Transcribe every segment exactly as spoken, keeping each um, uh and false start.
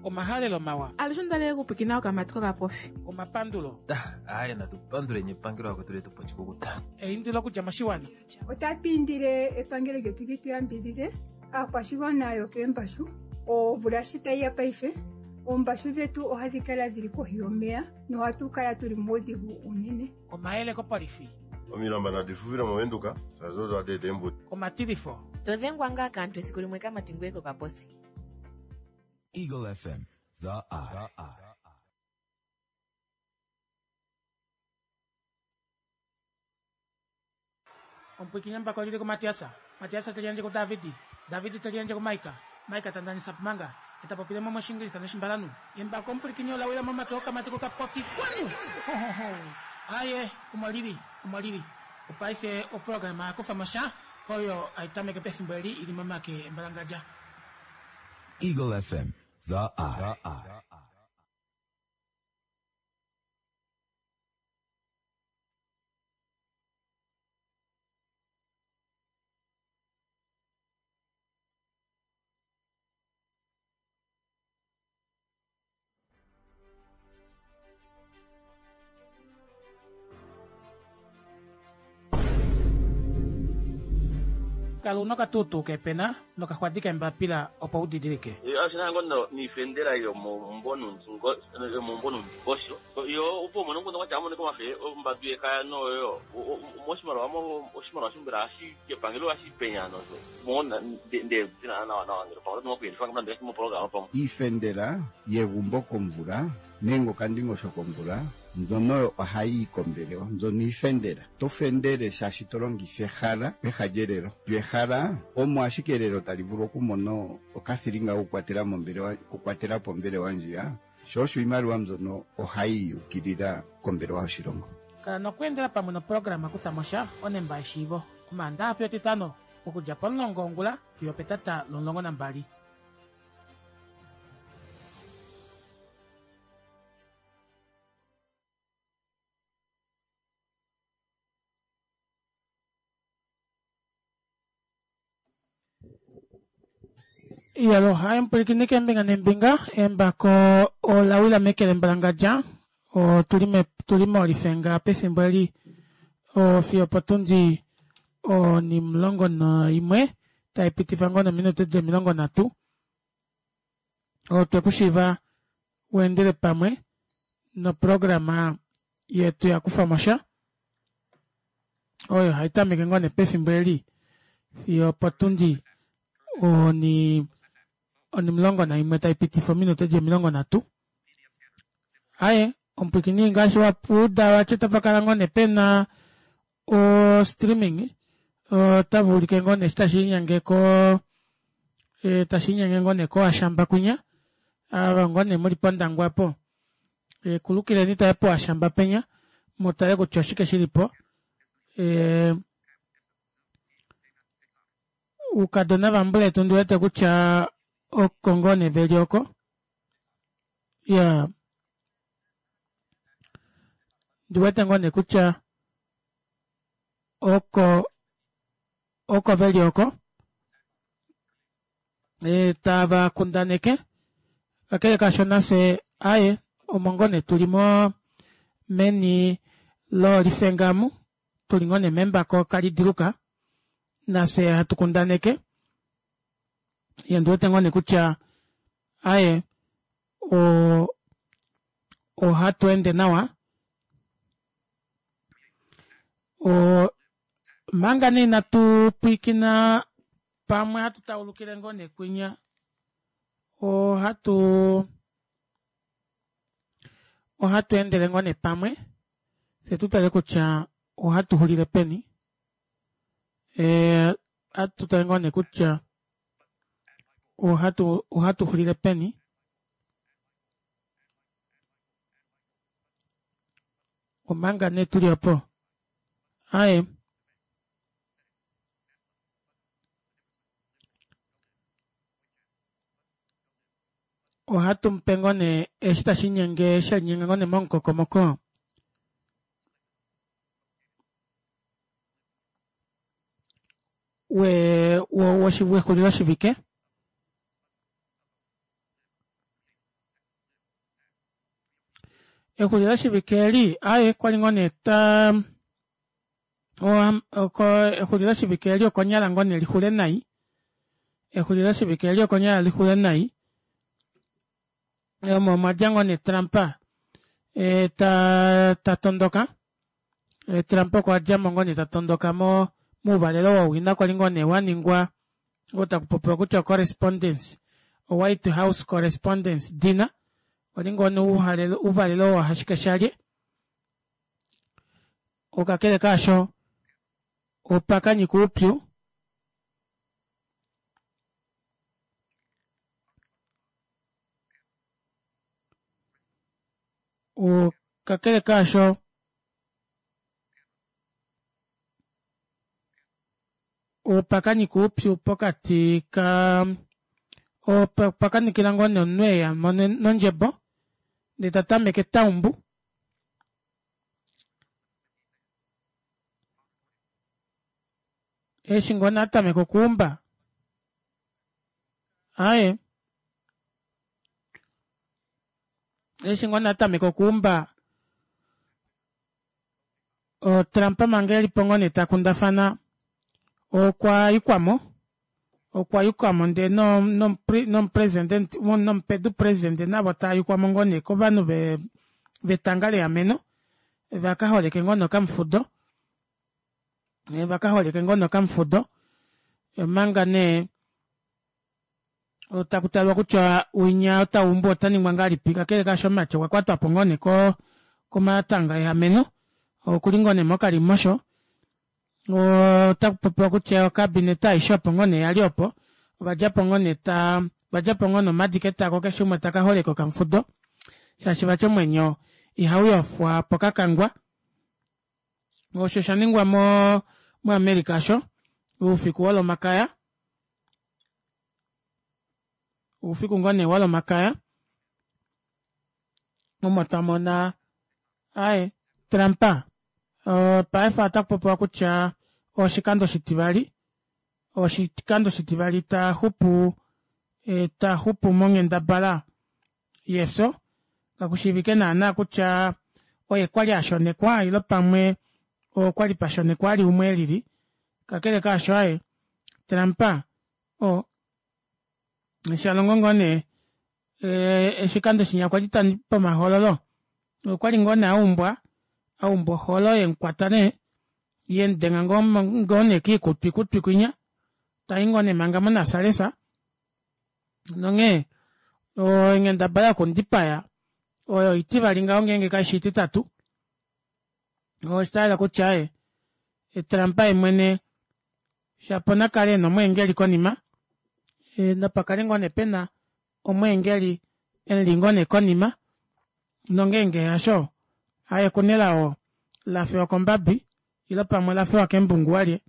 Omahalelo mawa. Alushe ondalele okupwikina okamati kokapofi. Omapandulo. Aaye natu panduleni epangelo akwetu letu po oshikukuta. Eindilo okudja moshiwana. Otatu indile epangelo lyetu li tu yambidide aakwashigwana yokeembashu. Omvula shi tayi ya paife, oombashu dhetu ohadhi kala dhili kohi yomeya nohatu kala tuli muudhigu unene. Omayele kopolifi. Omilamba nadi fufile moVenduka shaashi odo hadi eta eembudi. Omatilifo. To dhengwa ngaa kaantu esiku limwe kamati ngoye kokaposi. Eagle F M, the eye. Omupwikinye mbako lili kuMatiasa. Matiasa te liyandje kuDavidi. Davidi te liyandje kuMaika. Maika ta ndanisa pumanga. Eta popile mo moshingilisa noshimbalanu. Embako omupwikinye ola wila momake okamati kokapofi. Kwanu! Ho, ho, ho. Aye, omo lili, omo lili. Opaife oprograma ya kufa mosha oyo aitameke pefimbo eli ili momake embalangadja. Eagle F M, the eye. Kala una okatutu kepena nokaxwadi kembapila opo u didilike. Ashina ngono niifendela yomomumbo nondingosho yo opo umone ngono kwatya amone komafe ombadu yekaya noyo moshimaliwa oshimaliwa shimbela ashi kepangelo ashi penya nozo mona nde zina nawa nawa ngelo pangelo tinokuyendifa ngamna ndeke moprograma pamwe. Iifendela yegumbo komvula nenge okandingosho komvula mbyono ohayi kombelewa mbyono iifendela to fendele shaashi to longifa ehala peha lyelelo lyo ehala omo ashike elelo tali vulu okumona okathilinga kokukwatela mombelewa okukwatela po ombelewa ndjiya sho osho iimaliwa mbyono ohayi yukilila kombelewa yoshilongo. Kala nokweendela pamwe noprograma kutha mosha onemba yeshiivo omaandaxa fiyo etitano okudja pomulongo wongula fiyo petata lomulongo nambali. Iyalo, hai mpwilikini keembinga neembinga, embako ola wila meke lembalangadja, otuli me tuli molifenga pefimbo eli fiyo potundi onimulongo naimwe taipitifa ngoo nominute di omilongo nhatu. Otwe kushiiva weendele pamwe noprograma yetu ya kufa mosha oyo haitameke ngoo nee pefimbo eli fiyo potundi oni onimulongo naimwe taipitifa ominute di omilongo nhatu. Aye, omupwikini ngaashi wapuuda watya tapakala ngoo nee pena o streaming otavuulike ngoo nee tashiinyenge ko tashiinyenge ngoo nee koashamba kwinya ava ngoo nee muli pondangwa po kulukileni taye poashamba penya mutale kutya oshike shilipo. Ukadona vambuletu ndiwete kutya oko ngoo nee veli oko ya ndiwete ngoo nee kutya oko oko veli oko e tava kundaneke kakele kasho nafye aye omo ngoo nee tuli mo meni lolifengamu tuli ngoo nee membako kalidiluka nafye hatu kundaneke ye ndiwete ngoo nee kutya aye o ohatu ende nawa o manga nee inatu pwiikina pamwe hatu taulukile ngoo nee kwinya ohatu ohatu endele ngoo nee pamwe fye tutale kutya ohatu xulile peni e hatu tale ngoo nee kutya ohatu ohatu xulile peni omanga nee tuli opo aye ohatu mupe ngoo nee eshi tashinyenge shalinyenga ngoo nee momukokomoko we wexulilo shivike. Exuliloshivike eli aaye kwali ngoo nee taa exuliloshivike eli okonyala ngoo nee lixule nai exuliloshivike eli okonyala lixule nai omo mwadja ngoo nee Trump taa tatondoka Trump okwadjamo ngoo nee tatondoka mo mouvalelo wowina kwali ngoo nee waningwa oo takupopiwa kutya o correspondence o white house correspondence dinner kwali ngoo nee ouvalelo woohashikeshalye kakele kaasho opakanyika oupyu kakele kaasho opakanyika oupyu pokati ka opakanikila ngoo nee omunhu eyamo nondjebo ndee tatameke taumbu eshi ngoo nee atameka okuumba aaye eshi ngoo nee atameka okuumba Trump manga elipo ngoo nee takundafana okwa yukwamo okwa yukwamo ndee nomupresident nomupedu president navo tayukwamo ngoo nee kovanhu vetanga leameno vakaholeke ngoo nee okamufudo vakaholeke ngoo nee okamufudo omanga nee takutalwa kutya winya oo taumbu otaningwa ngahelipi kakele kaasho omumati okwa kwatwapo ngoo nee komatanga eameno okuli ngoo nee mokalimosho otakupopiwa kutya o cabinet aishe opo ngoo nee yali opo ovadjapo ngoo nee taa ovadjapo ngoo nomadi ketako keshe umwe taka holeke okamufudo shaashi vati omwenyo ihauyofwa pokakangwa osho oshaningwa mo mo America osho oufiku wolomakaya oufiku ngoo nee wolomakaya omo twamona aaye Trump paife otakupopiwa kutya oshikando oshitivali oshikando oshitivali taxupu taxupu monghendabala yefyo kakushiivike naana kutya oye kwali ashonekwa ile pamwe okwali pashonekwa ali umwe elili kakele kaasho aaye Trump oo shalongo ngoo nee oshikando shinya kwali pomahoololo okwali ngoo nee aumbwa aumbwa oholo yemukwata nee yemudenga ngoo nee koikutwikutwi kwinya tayi ngoo nee manga monasalesa nonghee onghendabala yokumudipaya oyo oitivali ngaho ngenge kaifi oititatu oshayela kutya aaye Trump yeemwene shapo nakale ena omweengeli konima napakale ngoo nee pena omweengeli emuli ngoo nee konima nongenge hasho aaye okuna elao lafewa kombabi ile pamwe olafewa kembungu walye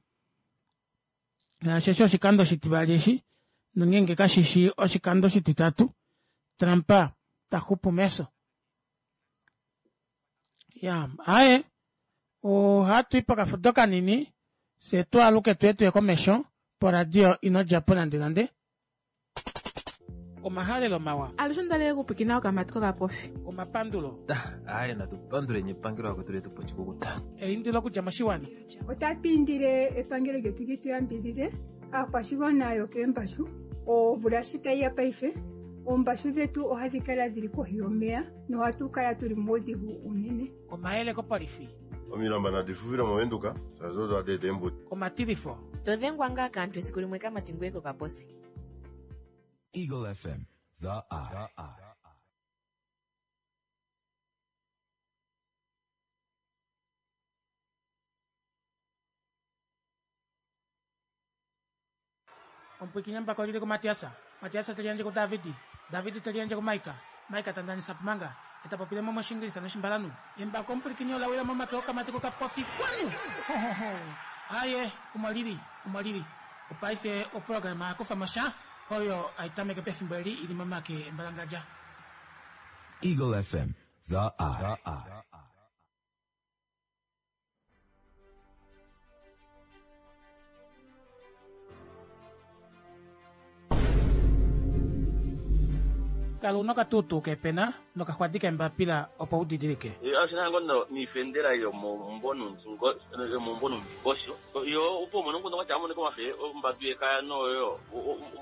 shaashi eshi oshikando oshitivali eshi nongenge kashishi oshikando oshititatu Trump taxupu mefyo iyaa aaye ohatwii pokafudo kanini fyee twaaluke tuye tuye komesho poradio inodjapo nande nande omahalelo mawa Alushe ondali okupwiikina okamati kokapofi. Omapandulo. Aaye natu panduleni epangelo lakwetu letupa oshikukuta. Eindilo okudja moshiwana. Otatu indile epangelo lyetu li tu yambidhidhe aakwashigwana yokeembashu omvula shi tayi ya paife oombashu dhetu ohadhi kala dhili kohi yomeya nohatu kala tuli muudhigu unene. Omayele kopolifi. Omilamba nadi fufile movenduka shaashi odo hadi eta eembuto. Omatilifo. Todhengwa ngaa kaantu esiku limwe kamati ngweye kokaposi. Eagle F M, The Eye. Omupwiikini mbaka olili kuMatias, Matias te liyandje kuDavid, David te liyandje kuMaika, Maika ta ndanisa Pumanga, ye ta popile mo mOshingilisa nOshimbalanhu. Embako omupwilikini ola wila momake okamati kokapofi kwanu! Hohoho! Aaye, omo lili, omo lili. Opaife oprograma ya kufa mo sha oyo hai tameke pefimbo eli i li momake embalangadja. Eagle F M, The Eye. Kala una okatuutuu kepena nokaxwadi kembapila opo udidilike. Ashina ngono niifendela yomombonundingosho yo opo mono ngono wacha amone komafe ombadu yekaya noyo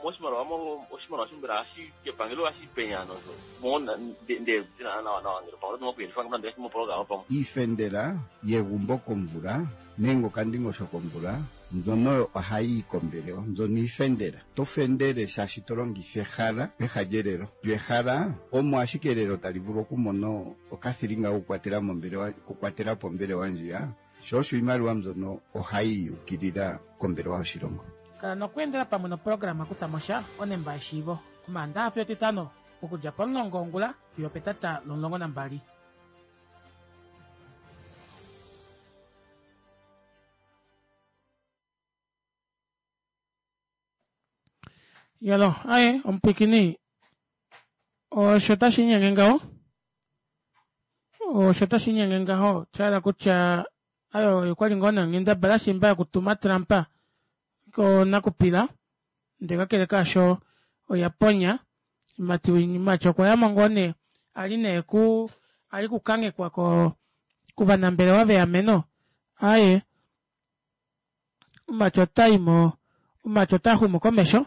moshimaliwa oshimaliwa shimbela hashi kepangelo hashi penya nozo mona nde nawa nawa ngele pamwe oto mokuyendifa mopologama pamwe Iifendela yegumbo komvula nenge okandingosho komvula mbyono ohayi yi kombelewa, mbyono iifendela. To fendele shaashi to longitha ehala peha lyelelo. Lyo ehala omo ashike elelo tali vulu okumona okathilinga kokukwatela mombelewa, okukwatela po ombelewa ndjiya, sho osho iimaliwa mbyono ohayi yukilila kombelewa yoshilongo. Kala nokweendela pamwe noprograma Kutha mo sha onemba yeshiivo Omaandaxa fiyo Etitano okudja pomulongo wongula fiyo opetata lomulongo nambali. Yalo, aye omupwikini osho tashi inyenge ngaho osho tashi inyenge ngaho shahala kutya ayo okwali ngoo nee onghendabala shimba yokutuma Trump konakupila ndee kakele kaasho oya ponya mati mati okwayamo ngoo nee ali nee ku ali kukanghekwa ko kovanambelewa veameno aaye mati otaimo mati otaxumu komesho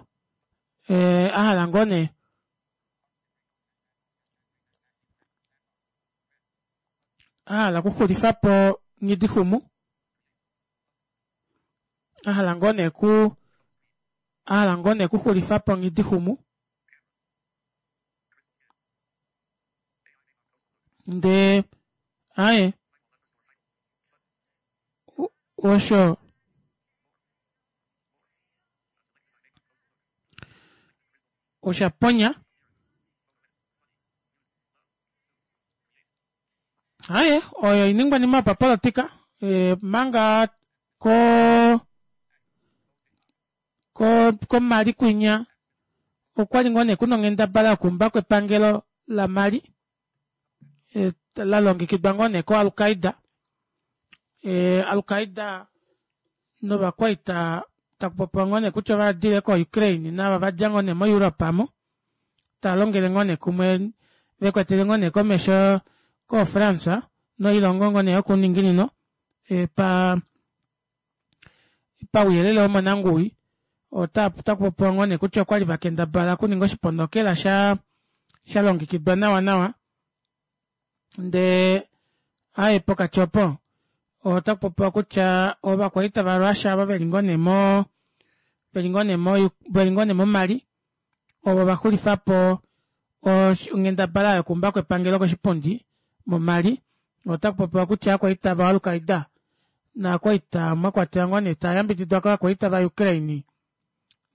ee ahala ngoo nee ahala okuxulifapo Nghidixumu ahala ngoo nee ku ahala ngoo nee okuxulifapo Nghidixumu ndee aaye osho oshaponya aaye oyo oiningwanima yopapolitika omanga ko ko komali kwinya okwali ngoo nee kuna onghendabala yokuumbako epangelo laMali lalongekidwa ngoo nee ko Al-Qaeda Al-Qaeda novakwaita takupopiwa ngoo nee kutya ovadile ko Ukraine nava vadja ngoo nee mo Europe aamo taalongele ngoo nee kumwe vekwetele ngoo nee komesho ko France noilongo ngoo nee yokuuninginino pa pauyelele womonanguwi ota otakupopiwa ngoo nee kutya okwali vakendabala okuninga oshiponokela sha shalongekidwa nawa nawa ndee aaye pokati opo otakupopiwa kutya ovakwaita va Russia ava veli ngoo nee mo veli ngoo nee mo veli ngoo nee mo Mali ovo vaxulifapo onghendabala yokuumbako epangelo koshipundi mo Mali otakupopiwa kutya ovakwaita va Al-Qaeda naakwaita mwakwatelwa ngoo nee tayambididwa kovakwaita va Ukraine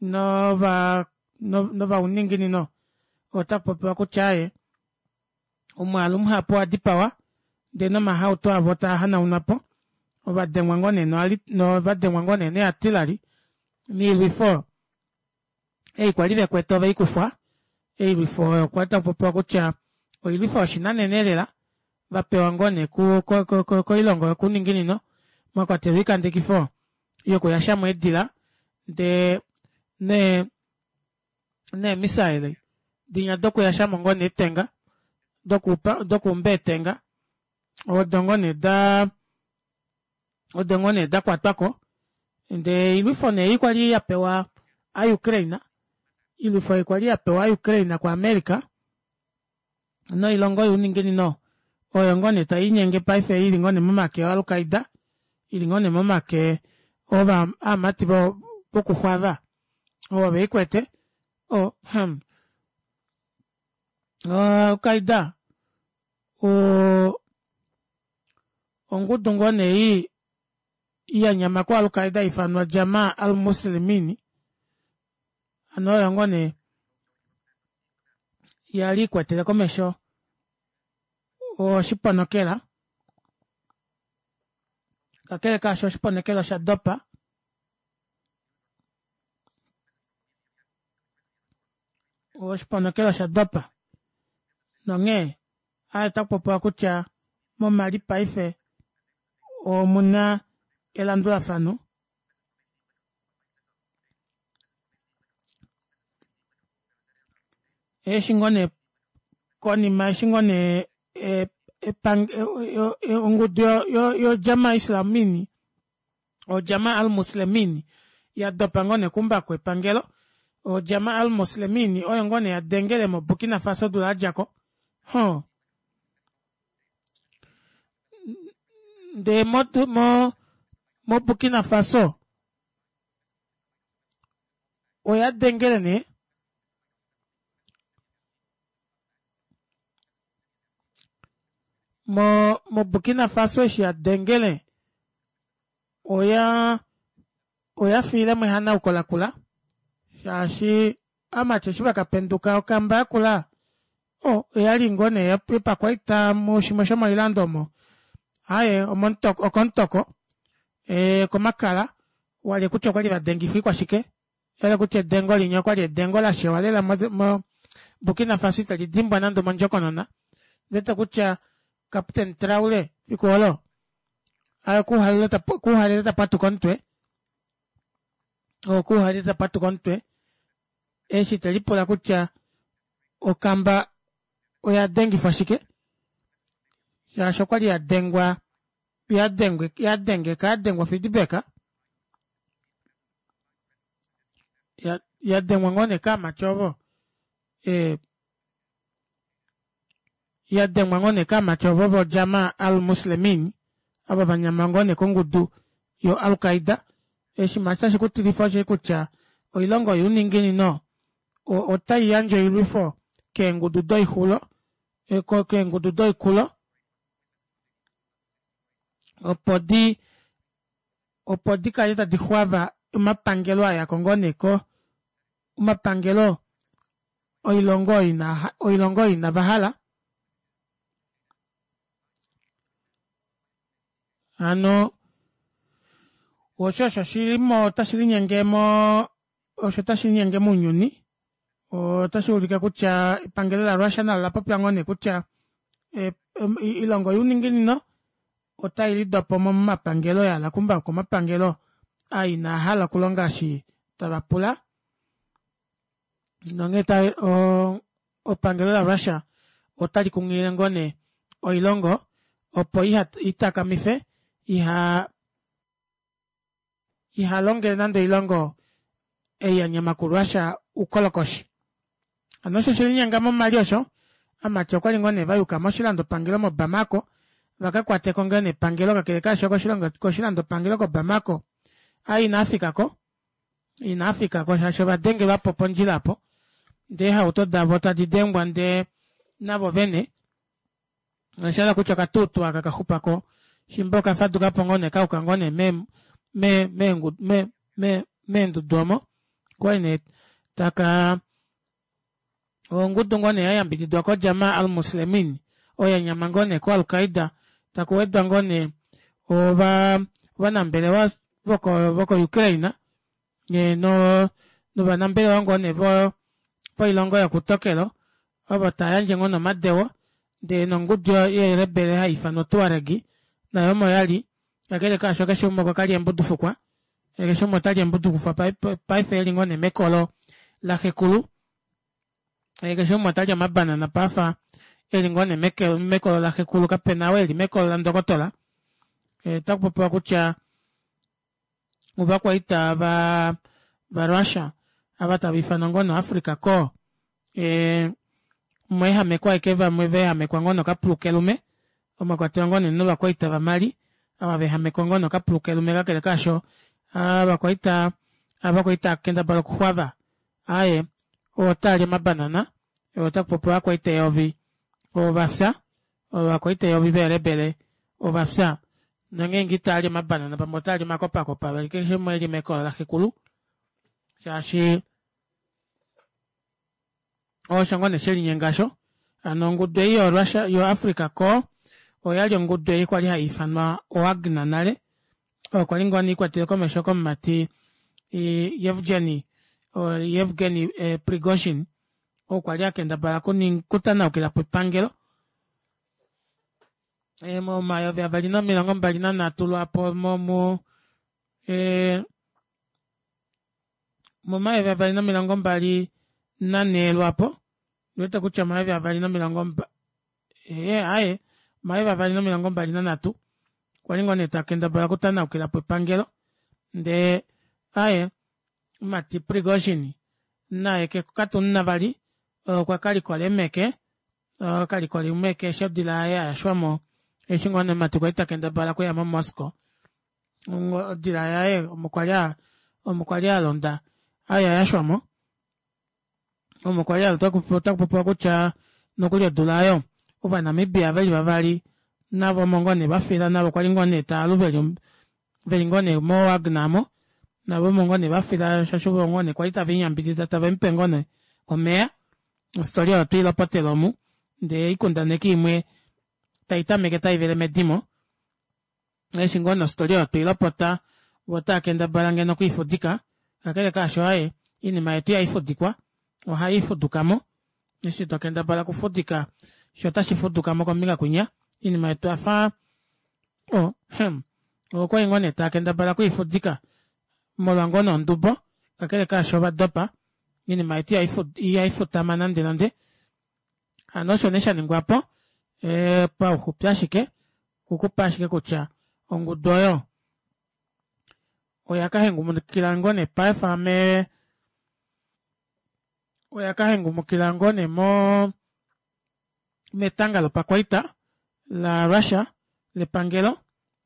nova novauninginino otakupopiwa kutya aaye omwaalu muhapu owadipawa ndee nomahauto avo taa hanaunwapo ovadengwa ngoo nee novadengwa ngoo nee neeartillery noilwifo ei kwali vekwete oveikufwa oilwifo oyo kwali takupopiwa kutya oilwifo yoshinanena elela vapewa ngoo nee koilongo yokuuninginino mwakwatelwa oikandekifo yokuyashamo eedila ndee nee neemissile dinya dokuyashamo ngoo nee eetenga dokupa dokuumba eetenga odo ngoo nee daa odo ngoo nee dakwatwako ndee oilwifo nee ei kwali yapewa a Ukraine oilwifo ei kwali yapewa a Ukraine ku America noilongo youninginino oyo ngoo nee taiinyenge paife ili ngoo nee momake o Al-Qaeda ili ngoo nee momake ova aamati vokuxwava ovo veikwete o hmm Al-Qaeda o ongudu ngoo nee yanyama ko Al-Qaeda ifanwa Jamaa al-Muslimini hano oyo ngoo nee yali ikwetele komesho oshiponokela kakele kaasho oshiponokela osha dopa oshiponokela osha dopa nonghee aaye otakupopiwa kutya momali paife omuna elandulafano eshi ngoo nee Konima eshi ngoo nee ongudu yo Jama Islamini o Jama al-Muslimini yadopa ngoo nee okuumbako epangelo o Jama al-Muslimini oyo ngoo nee yadengele mo Burkina Faso odula yadjako huh ndee mo mo Burkina Faso oya dengele nee mo mo Burkina Faso eshi yadengele oyaa oyafiilemo ehanauko lakula shaashi ovamati eshi vakapenduka okamba yakula oo oyali ngoo nee yopakwaita mushimwe shomoilando omo aaye okomutoko ee okomakala walye kutya okwali vadengifwa oikwashike oshayela kutya edengo linya okwali edengo lashewa lela mo Burkina Faso itelidimbwa nande mondjokonona ondiwete kutya captain Traore efiku oolo aaye okuuhalele tapwatuka omutwe okuuhalele tapwatuka omutwe eshi telipula kutya okamba oyadengifwa shike shaashi okwali yadengwa yadengeka yadengwa feedback yadengwa ngoo nee kaamati ovo ee yadengwa ngoo nee kaamati ovo vo jama al muslimini ava vanyama ngoo nee kongudu yo alqaida oshinima tashi kutilifa osheshi kutya oilongo youninginino otaiyandje oilwifo keengudu doixulo keengudu doikulo opo dii opo dikale tadi xwava omapangelo ayako ngoo nee ko omapangelo oilongo oilongo oyo inavahala hano osho osho shilimo tashilinyenge moo osho tashilinyenge mounyuni otashuulike kutya epangelo la russia nalo olapopya ngoo nee kutya oilongo youninginino otailidopomo momapangelo yahala okuumbako omapangelo aa inaahala okulonga eshi tavapula nonghee oo epangelo la russia otali kunghilile ngoo nee oilongo opo itakamife iha ihalongele nande oilongo ei yanyama ku russia oukolokoshi hano osho oshelinyenga mo mali osho ovamati okwali ngoo nee vayuka moshilandopangelo mo bamako vakakwateko ngoo nee epangelo kakele kaasho koshilandopangelo ko bamako aaye inaafikako inaafikako shaashi ovadengelwapo pondjila aapo ndee eehauto davo tadi dengwa ndee navo vene oshahala kutya okatuutu aka kaxupako shimba okafadukapo ngoo nee kayuka ngoo nee me me me meendudu omo okwali nee takaa ongudu ngoo nee yayambididwa ko jama al muslimini oyo yanyama ngoo nee ko alqaida takuwedwa ngoo nee ova ovanambelewa voko ukraine noo novanambelewa ngoo nee voilongo yokoutokelo ovo tayandje ngoo nee omadeo ndee nongudu yeerebele haiifanwa tuareg nayo omo yali kakele kaasho keshe umwe okwakalya eembudufukwa keshe umwe otalyi eembudufukwa paife eli ngoo nee mekolo laxekulu keshe umwe otalyi omabanana paife eli ngoo nee mekolo laxekulu kapena ou eli mekolo landokotola otakupopiwa kutya ovakwaita vaa va russia ava tava ifanwa ngoo nee o africa corps ee omweehamekwa ashike vamwe vaehamekwa ngoo nee okapulu kelume mwakwatelwa ngoo nee novakwaita va mali ava vaehamekwa ngoo nee okapulu kelume kakele kaasho ovakwaita ava kwali taakendabala okuxwava aaye otaali omabanana otakupopiwa ovakwaita eyovi ovafya ovakwaita eyovi veerebele ovafya nongeenge itaali omabanana pamwe otaali omakopakopa keshe umwe eli mekolo laxekulu shaashi osho ngoo nee shelinyenga aasho hano ongudu ei yo russia yo africa corps oyali ongudu ei kwali haiifanwa o wagner nale oyo kwali ngoo nee ikwatelwa komesho komumati yevgeny yevgeny prigozhin oo kwali akendabala okutanaukilapo epangelo momayovi avali nomilongo mbali nanhatu lwaapo momu ee momayovi avali nomilongo mbali nanhee lwaapo Ndiwete kutya omayovi avali nomilongo mba ee aaye omayovi avali nomilongo mbali nanhatu okwa li ngoo nee takendabala okutanaukilapo epangelo ndee aaye mumati Prigozhin naye katumuna vali okwa kalikola eemeke okalikola eemeke eshi odila yaye yayashwamo eshi ngoo nee mumati kwali takendabala okuya mo moscow odila yaye omo kwali omo kwali alonda oyayashwamo omo kwali otakupopiwa kutya nokuli odula aayo ova Namibia veli vavali navo omo ngoo nee vafila navo kwali ngoo nee taalu veli veli ngoo nee mo Wagner aamo navo omo ngoo nee vafila shaashi ovo ngoo nee kwali taveliyambidida tavemupe ngoo nee omeya ostory oyo otweilopotele omu ndee oikundaneki imwe taitameke taivele medimo eshi ngoo nee ostory oyo tweilopota voo otaakendabala ngeno okwiifudika kakele kaasho aaye oinima yetu ihaifudikwa ohaifudukamo eshi tokendabala okufudika shoo otashi fudukamo kombinga kwinya oinima yetu oyafa oh hmm okwali ngoo nee taakendabala okwiifudika molwa ngoo nee ondubo kakele kaasho ovadopa oinima yetu ihaifutama nande nande hano osho nee shaningwapo ee pauxupi ashike okukupa ashike kutya ongudu oyo oya kahengumukila ngoo nee paife mee oya kahengumukila ngoo nee moo metanga lopakwaita la Russia lepangelo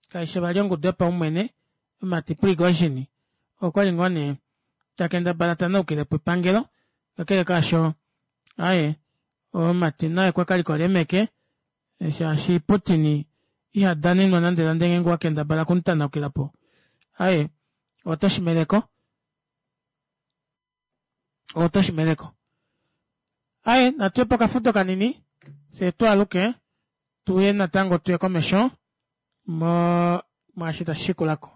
kaishi vali ongudu yopaumwene mumati Prigozhin okwali ngoo nee takendabala tanaukilepo epangelo kakele kaasho aaye omumati naye okwa kalikola eemeke shaashi Putin iha danenwa nande nande ngeenge owakendabala okumu aaye otoshimeleko otoshimeleko aaye natuye pokafudo kanini fyee twaaluke tuye natango tuye komesho mo mwaashi tashishikulako.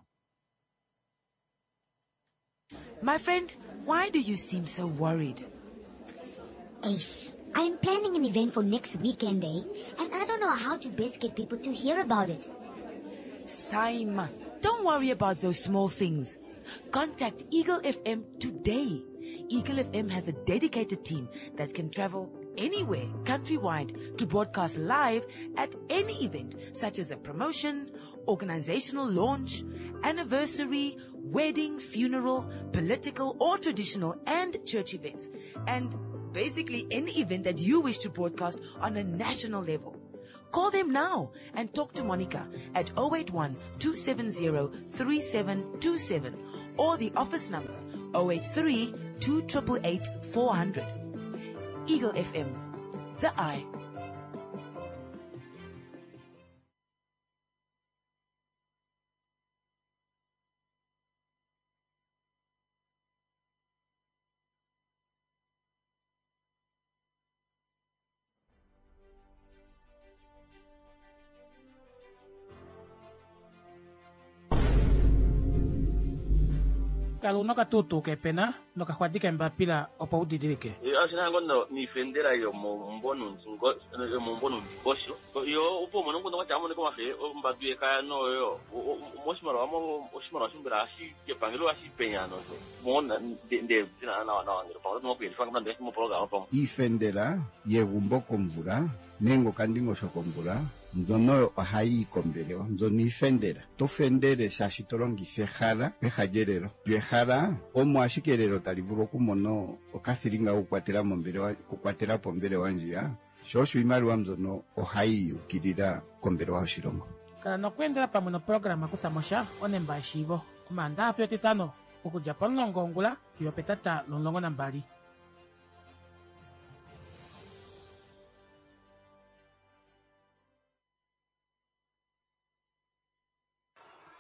My friend, why do you seem so worried? Ace, I'm planning an event for next weekend, eh? And I don't know how to best get people to hear about it. Saima, don't worry about those small things. Contact Eagle F M today. Eagle F M has a dedicated team that can travel anywhere countrywide to broadcast live at any event, such as a promotion, organizational launch, anniversary, wedding, funeral, political or traditional and church events, and basically any event that you wish to broadcast on a national level. Call them now and talk to Monica at oh eight one, two seven zero, three seven two seven or the office number oh eight three, two triple eight, four hundred. Eagle F M, the eye. Kala una okatuutuu kepena nokaxwadi kembapila opo udidilike. Ashina ngono niifendela yomombonundingosho yo opo umone nguno kwatya amoneka omafe ombadu yekaya noyo moshimaliwa oshimaliwa shimbela ashi kepangelo ashi penya nozo mona nde tina nawa nawa ngelo pamwe nokuyelifa ngamnandi mopologama pamwe iifendela yegumbo komvula nenge okandingosho komvula mbyono ohayi yi kombelewa mbyono iifendela to fendele shaashi to longitha ehala peha lyelelo lyo ehala omo ashike elelo tali vulu okumona okathilinga okukwatela mombelewa okukwatela po ombelewa ndjiya sho osho iimaliwa mbyono ohayi yukilila kombelewa yoshilongo. Kala nokweendela pamwe noprograma kutha mosha onemba yeshiivo omaandaxa fiyo etitano okudja pomulongo wongula fiyo petata lomulongo nambali.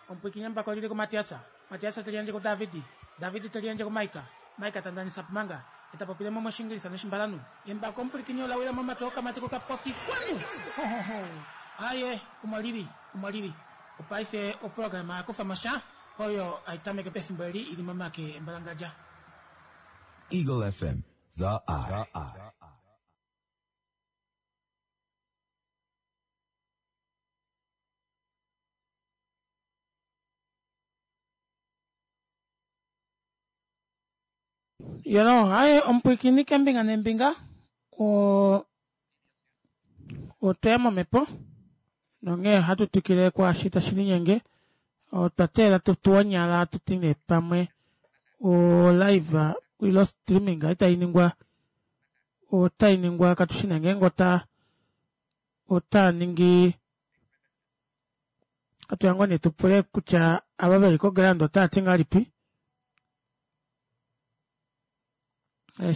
Omupwikinye mbako lili ku Matiasa, Matiasa te liyandje ku Davidi, Davidi te liyandje ku Maika, Maika ta ndanisa pumanga, e ta popile mo mOshingilisa nOshimbalanhu. Embako omupwilikini ola wila momake okamati kokapofi xwanu! Ho ho ho! Aaye, omo lili, omo lili. Opaife oprograma ya kufa mo sha oyo hai tameke pefimbo eli i li momake embalangadja. Eagle F M, the eye. Yolo, haye omupwiikini kembinga nembinga Oo otweya momhepo nonghee ohatu twikile kwaashi tashilinyenge otwa teelela tutuwe onyala hatuti nee pamwe o live ile streaming itainingwa otainingwa katushi nee ngeenge ota otaaningi ohatuya ngoo nee tupule kutya ava veli ko ground otaati ngahelipi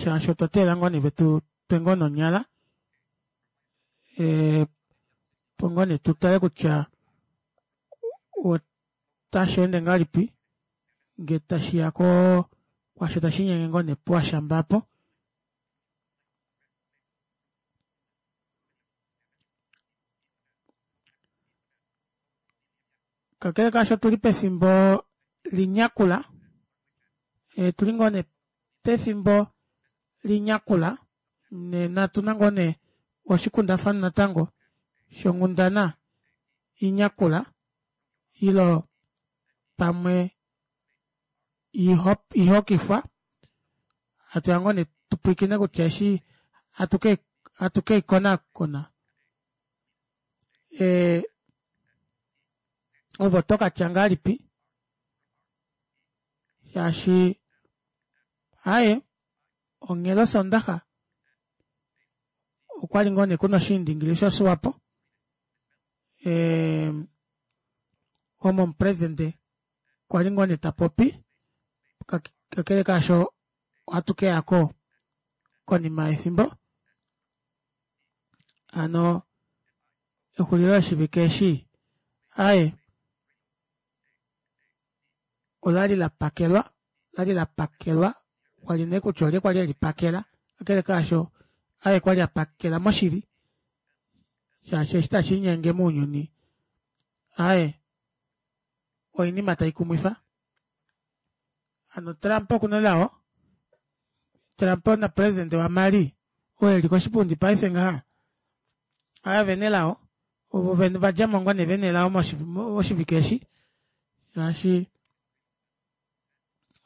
shaashi otwa teelela ngoo nee vetutwe ngoo nee onyala opo ngoo nee tutale kutya otasheende ngahelipi ngee tashiya koo kwaasho tashiinyenge ngoo nee puwashamba aapo. Kakele kaasho otuli pefimbo linyakula otuli ngoo nee pefimbo linyakula nena otuna ngoo nee oshikundafanwa natango shonghundana inyakula ile pamwe ihokifwa hatuya ngoo nee tupwiikine kutya eshi hatu keikonakona ee ove otokatya ngahelipi shaashi aaye onghela osondaxa okwali ngoo nee kuna oshiindingili sho swapo ee omo omupresident kwali ngoo nee tapopi kakele kaasho ohatu keyako konima yefimbo hano exulilo shivike eshi aaye olali lapakelwa olali lapakelwa kwali nee kutya olye kwali elipakela kakele kaasho aaye kwali apakela moshili shaashi eshi tashiinyenge mounyuni aaye oinima taikumwifa hano Trump okuna elao Trump na president wa Mali oo eli koshipundi paife ngaha aaye ovena elao ovo vadjamo ngoo nee vena elao moshivike eshi shaashi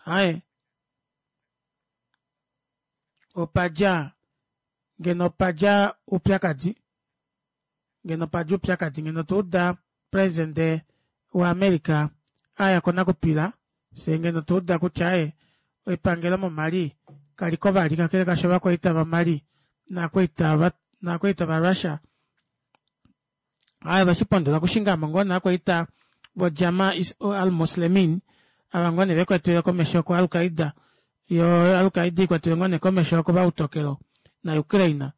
aaye opadja ngeno opadja oupyakadi ngeno opadja oupyakadi ngeno otwauda president wa america aya konakupila fyee ngeno otwauda kutya aaye epangelo mo mali kaliko vali kakele kaasho ovakwaita va mali novakwaita va russia aaye oveshipondola okushingamo ngoo nee ovakwaita vo jama al muslemin ava ngoo nee vekwetiwe komesho ko alqaida yoo alqaida ikwetiwe ngoo nee komesho kovautokelo na ukraine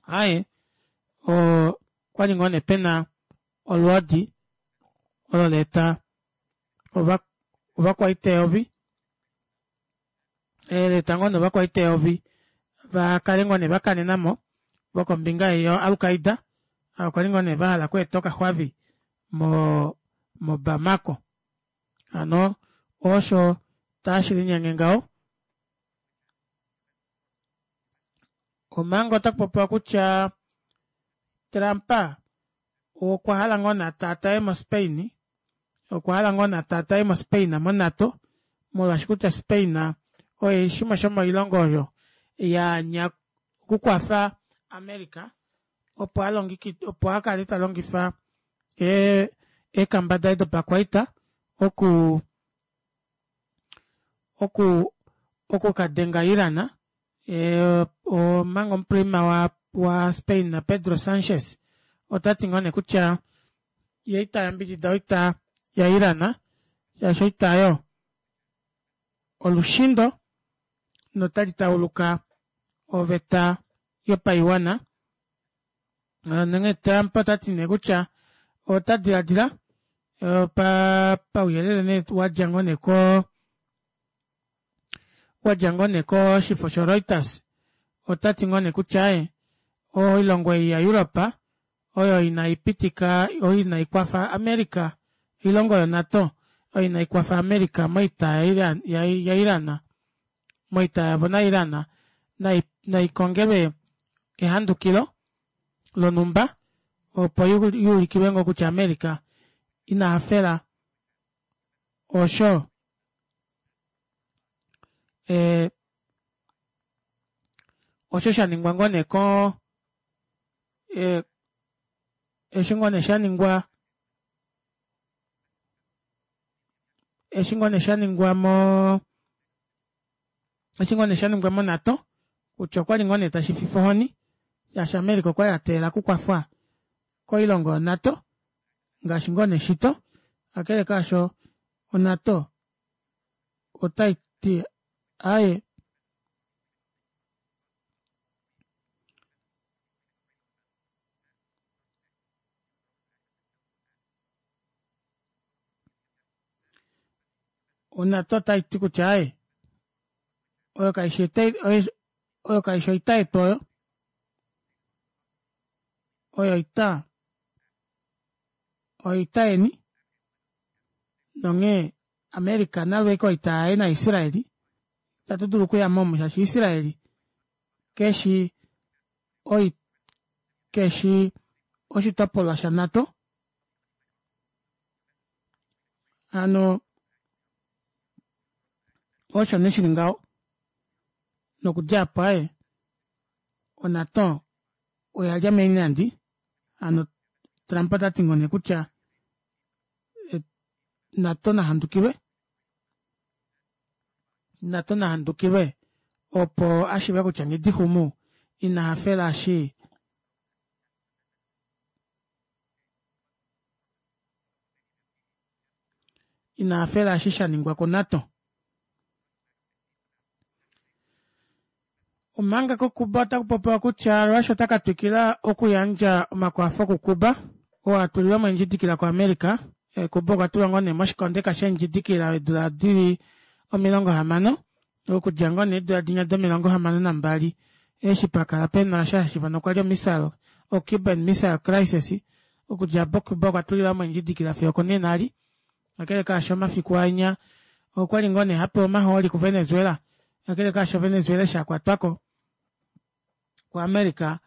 aaye oo okwali ngoo nee pena olwoodi olo laeta ovakwaita eyovi laeta ngoo nee ovakwaita eyovi vakale ngoo nee vakanenamo vokombinga ei yo alqaida ava kwali ngoo nee vahala okweeta okaxwavi mo bamako hano osho tashilinyenge ngaho omanga otakupopiwa kutya Trump okwahala ngoo nee atataye mo spain okwahala ngoo nee atataye mo spain mo nato molwaashi kutya spain oye shimwe shomoilongo oyo yaanya okukwafa America opo alongekide opo akale talongifa eekamba daye dopakwaita oku oku okukadenga Iran omanga omuprima wa Spain Pedro Sanchez otati ngoo nee kutya yee itayambidida oita ya Iran shaashi oita aayo olushindo notali tauluka oveta yopaiwana nonghee Trump otati nee kutya ota dilaadila pauyelele nee wadja ngoo nee koo wadja ngoo nee koshifo sho Reuters otati ngoo nee kutya aaye oilongo ei ya Europe oyo inaipitika oyo inaikwafa America oilongo yo nato oyo inaikwafa America moita ya Iran moita yavo na Iran naikongelwe ehandukilo lonhumba opo yuulikilwe ngoo kutya America inahafela osho ee Osho shaningwa ngoo nee ko eh, eshi ngoo nee shaningwa eshi ngoo nee shaningwa moo eshi ngoo nee shaningwa mo NATO kutya okwali ngoo nee tashififa ohoni shaashi America okwali ateelela okukwafwa koilongo yo NATO ngaashi ngoo nee shito kakele kaasho o NATO otaiti aaye o NATO otaiti kutya aaye oyo kaishi oyo kaishi oita yetu oyo oyo oita oita yeni nonghee America nalwe ashike oita yaye na Israeli ita tudulu okuyamo omu shaashi Israeli keshi oi keshi oshitopolwa sha NATO hano osho nee shili ngaho nokudja aapo aaye o NATO oyalya meenyandi hano Trump otati ngoo nee kutya NATO nahandukilwe NATO nahandukilwe opo ashiive kutya nghidixumu ina hafela eshi ina hafela eshi shaningwa ko NATO. Omanga ko Cuba otakupopiwa kutya Russia ota katwikila okuyandja omakwafo ku Cuba oo atulilwamo eendjidikila ku America. Cuba okwa tulwa ngoo nee moshikondeka sheendjidikila eedula dili omilongo hamano okudja ngoo nee eedula dinya domilongo hamano nambali eshi pakala pena sha hashiifanwa kwali omissile o Cuban Missile Crisis okudja apo Cuba okwa tulilwamo eendjidikila fiyo okonena eli. Kakele kaasho omafiku anya okwali ngoo nee hapewa omahooli ku Venezuela kakele kaasho Venezuela eshi akwatwako ku America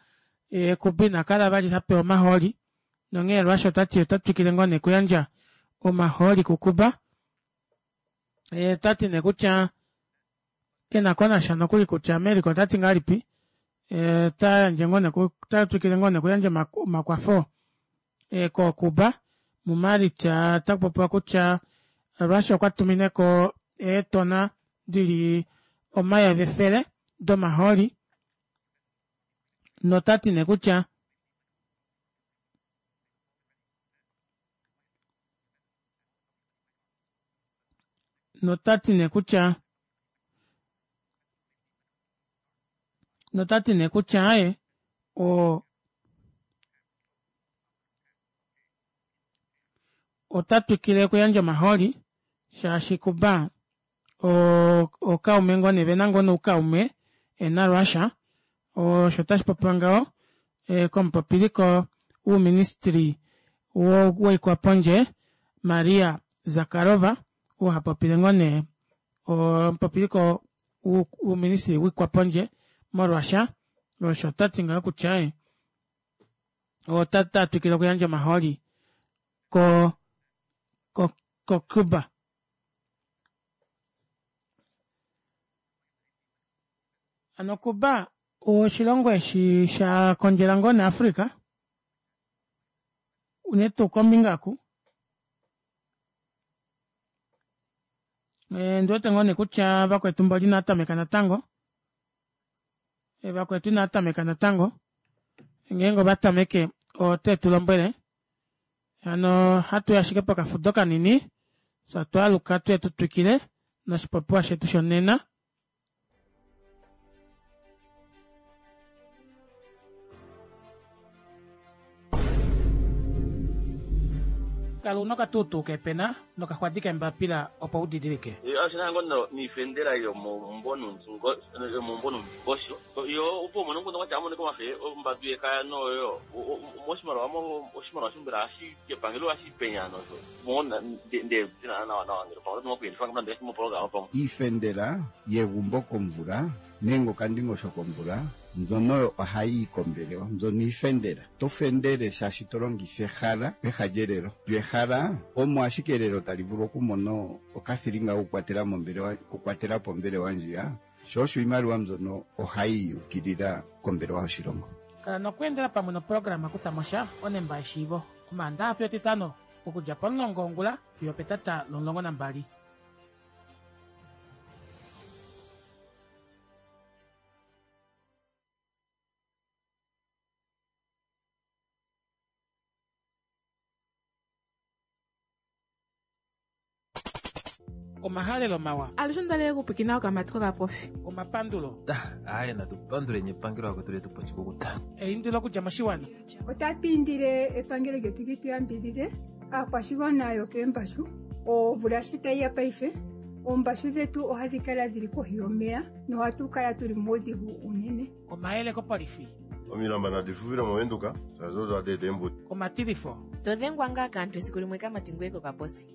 Cuba inakala vali hapewa omahooli nonghee Russia otati ota twikile ngoo nee okuyandja omahooli ku Cuba. Otati nee kutya kenakonasha nokuli kutya America otati ngahelipi otayandje ngoo nee ota twikile ngoo nee okuyandja omakwafo ko Cuba. Mu Maalitsa otakupopiwa kutya Russia okwa tumineko eetona dili omayovi efele domahooli notati nee kutya notati nee kutya notati nee kutya aaye o ota twikile okuyandja omahooli shaashi Cuba okaume ngoo nee vena ngoo noukaume na Russia osho tashi popiwa ngaho komupopiliko wouministry woikwapondje Maria Zakharova oo hapopile ngoo nee omupopiliko wouministry woikwapondje mo Russia osho tati ngaho kutya ota twikile okuyandja omahooli ko ko ko Cuba. Hano Cuba oshilongo eshi sha kondjela ngoo naAfrica unene tuu kombinga oku ndiwete ngoo nee kutya vakwetu mboli inaatameka natango vakwetu inaatameka natango ngeenge ovatameke ote tulombwele hano hatuyi ashike pokafudo kanini fye twaaluka tuye tutwikile noshipopiwa shetu shonena. Kala una okatuutuu keepena nokaxwadi keembapila opo udidilike. Oshina ngoo niifendela yomomumvo nomungosho yo opo umone nguno kwatya amoneka omafe ombadu yekaya noyo moshimaliwa oshimaliwa shombela hashi kepangelo hashi penya nosho mo nde nawa nawa ngele pamwe oto kuyelifa nande mopologama pamwe iifendela yegumbo komvula nenge okandingosho komvula mbyono oyo ohayi yi kombelewa mbyono iifendela to fendele shaashi to longitha ehala peha lyelelo lyo ehala omo ashike elelo tali vulu okumona okathilinga kokukwatela mombelewa okukwatela po ombelewa ndjiya Sho osho iimaliwa mbyono ohayi yukilila kombelewa yoshilongo. Kala nokweendela pamwe noprograma Kutha mo sha onemba yeshiivo Omaandaxa fiyo Etitano okudja pomulongo wongula fiyo opetata lomulongo nambali. Omahalelo mawa. Alushe onda li okupwiikina okamati kokapofi. Omapandulo. Aaye natu panduleni epangelo lakwetu letu po oshikukuta. Eindilo okudja moshiwana. Otatu indile epangelo lyetu li tu yambidhidhe aakwashigwana yokeembashu omvula shi tayi ya paife oombashu dhetu ohadhi kala dhili kohi yomeya nohatu kala tuli muudhigu unene. Omayele kopolifi. Omilamba nadi fuvile mOvenduka, shaashi odo hadi eta eembuto. Omatilifo. To dhengwa ngaa kaantu esiku limwe kamati ngoye kokaposi.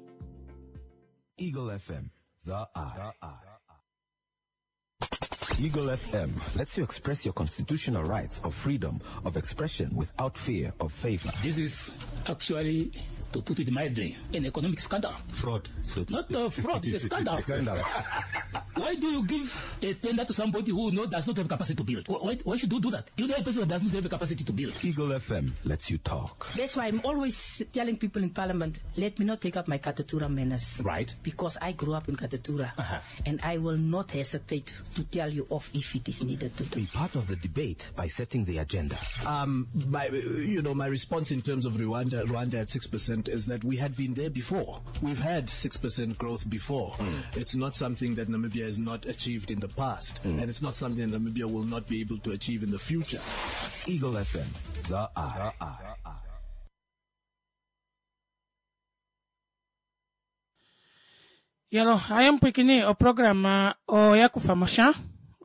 Eagle F M, the eye. Eagle F M lets you express your constitutional rights of freedom of expression without fear of favor. This is actually, to put it mildly, an economic scandal. Fraud. So Not a fraud, it's a scandal. Scandal. Why do you give a tender to somebody who no, does not have capacity to build? Why, why should you do that? You know a person that does not have the capacity to build. Eagle F M lets you talk. That's why I'm always telling people in Parliament, let me not take up my Katutura manners. Right. Because I grew up in Katutura. Uh-huh. And I will not hesitate to tell you off if it is needed to do. Be part of the debate by setting the agenda. Um, my, you know, my response in terms of Rwanda, Rwanda at six percent is that we had been there before. We've had six percent growth before. Mm. It's not something that Namibia has not achieved in the past, Mm. and it's not something that Namibia will not be able to achieve in the future. Eagle F M, the eye. The eye. Yalo, aye mpwikini oprograma oya kufa mo sha.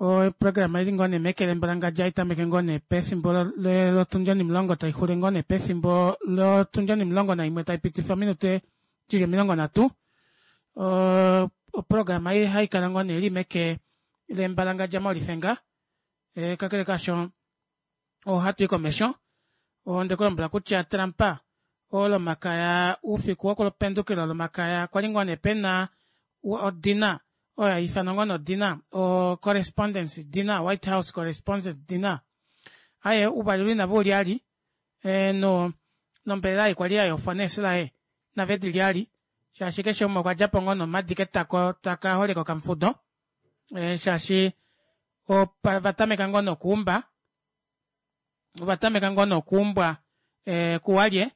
Oprograma ili ngoo nee mekelembo langadja itameke ngoo nee pefimbo lotundi onimulongo taixule ngoo nee pefimbo lotundi onimulongo naimwe taipitifa ominute dili omilongo nhatu. Oprograma ei haikala ngoo nee ili meke lembalangadja molifenga. Kakele kaasho ohatu i komesho ondekulombwela kutya Trump olomakaya oufiku wokupendukila olomakaya kwali ngoo nee pena odina oyo haifanwa ngoo nee odina o correspondence dinner, White House correspondence dinner. Aye ouvalelo inave ulyali no nombelela ei kwali yayofwa neesilaye nave dilyali shaashi keshe umwe okwa djapo ngoo nomadi ketako taka holeka okamufudo shaashi ovatameka ngoo nokuumba ovatameka ngoo nokuumbwa kuwalye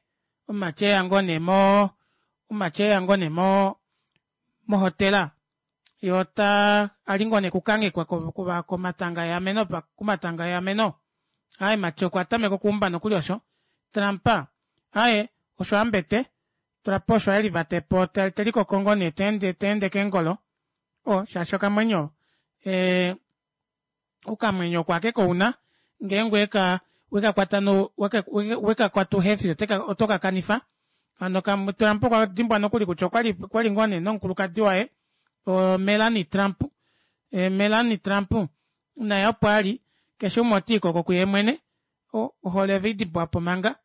omumati eya ngoo nee mo omumati eya ngoo nee mo mohotela ye ota ali ngoo nee kukanghekwa komatanga eameno komatanga eameno. Aaye mati okwa tameka okuumba nokuli osho Trump aaye osho ambete Trump osho elivatepo telikoko ngoo nee teende teende keengolo o shaashi okamwenyo ee okamwenyo oko ashike kouna ngeenge weka wekakwata no wekakwata uhefi oto kakanifa. Hano Trump okwa dimbwa nokuli kutya okwali okwali ngoo nee nomukulukadi waye o Melanie Trump. E, Melanie Trump naye opo ali keshe umwe otiikoko kuye mwene ohole veidimbwapo manga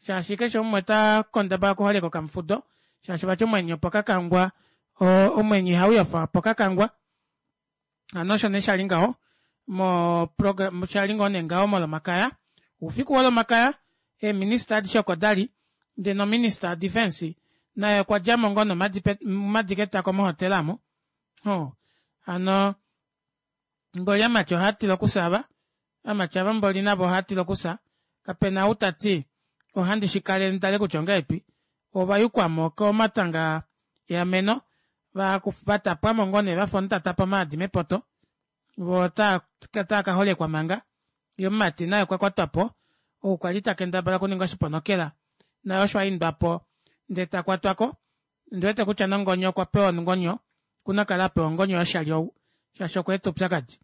shaashi keshe umwe ota kondaba okuholeka okamufudo shaashi vati omwenyo opo kakangwa omwenyo ihauyofa opo kakangwa. Hano osho nee shali ngaho mo program shali ngoo nee ngaho molomakaya oufiku wolomakaya eeminista adishe oko dali ndee nominista defense naye okwa djamo ngoo nomadi ketako mohotela amo. Hano mboli amati ohaatila okusa ava amati ava mboli navo ohaatila okusa kapena ou tati ohandi shikale nditale kutya ongahelipi ovayukwamo komatanga eameno vatapwamo ngoo nee vafa omunhu tatapa omaadi mepoto voo otaa kaholekwa manga. Ye omumati naye okwa kwatwapo ou kwali takendabala okuninga oshiponokela naye osho aindwapo ndee takwatwako. Ondiwete kutya nongonyo okwa pewa ongonyo okuna okukala apewa ongonyo yoshali ou shaashi okweeta oupyakadi.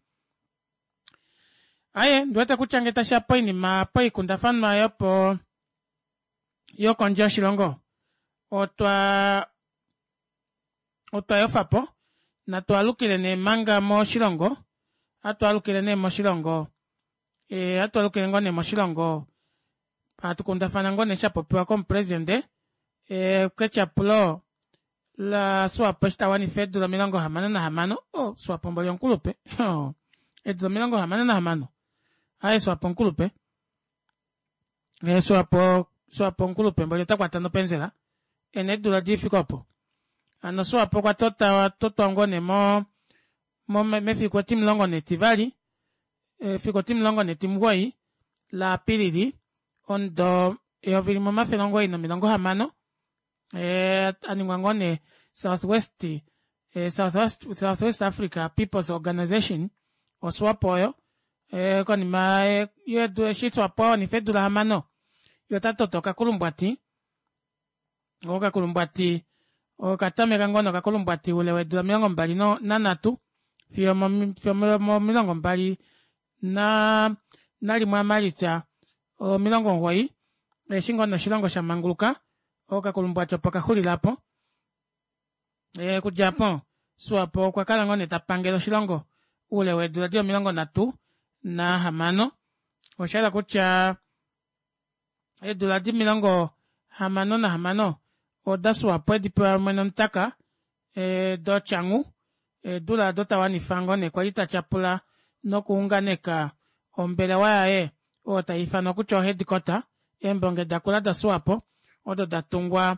Aaye ndiwete kutya ngee tashiya poinima poikundafanwa yopo yokondje yoshilongo otwa otwa yofapo natu alukile nee manga moshilongo hatu alukile nee moshilongo e, hatu alukile ngoo nee moshilongo hatu kundafana ngoo nee shapopiwa komupresidente e, ketyapulo La Swapo eshi tawanifa eedula omilongo hamano nahamano oh Swapo mboli omukulupe eedula omilongo hamano nahamano aaye Swapo omukulupe Swapo Swapo omukulupe mboli otakwata nopenzela ena eedula difike opo hano Swapo okwa tota totwa ngoo nee mo mefiku etimulongo netivali efiku etimulongo netimugoyi la Apilili omudo eyovi limwe omafele omugoyi nomilongo hamano aningwa ngoo nee South West South West Africa People's Organisation o Swapo oyo konima eshi Swapo awanifa eedula hamano yee otatoto okakulumbwati okakulumbwati okatameka ngoo nee okakulumbwati oule weedula omilongo mbali nanhatu fiyo momilongo mbali nalimwe aMalitsa omilongo omugoyi eshi ngoo nee oshilongo shamanguluka okakulumbwati opo kaxulila aapo okudja aapo Swapo okwa kala ngoo nee tapangele oshilongo oule weedula dili omilongo nhatu nahamano oshahala kutya eedula edi omilongo hamano nahamano oda Swapo edipewa mwene womutaka dotyangu eedula aado tawanifa ngoo nee kwali tatyapula nokuunganeka ombelewa yaye oyo taifanwa kutya o headquarter eembonge dakula da Swapo odo datungwa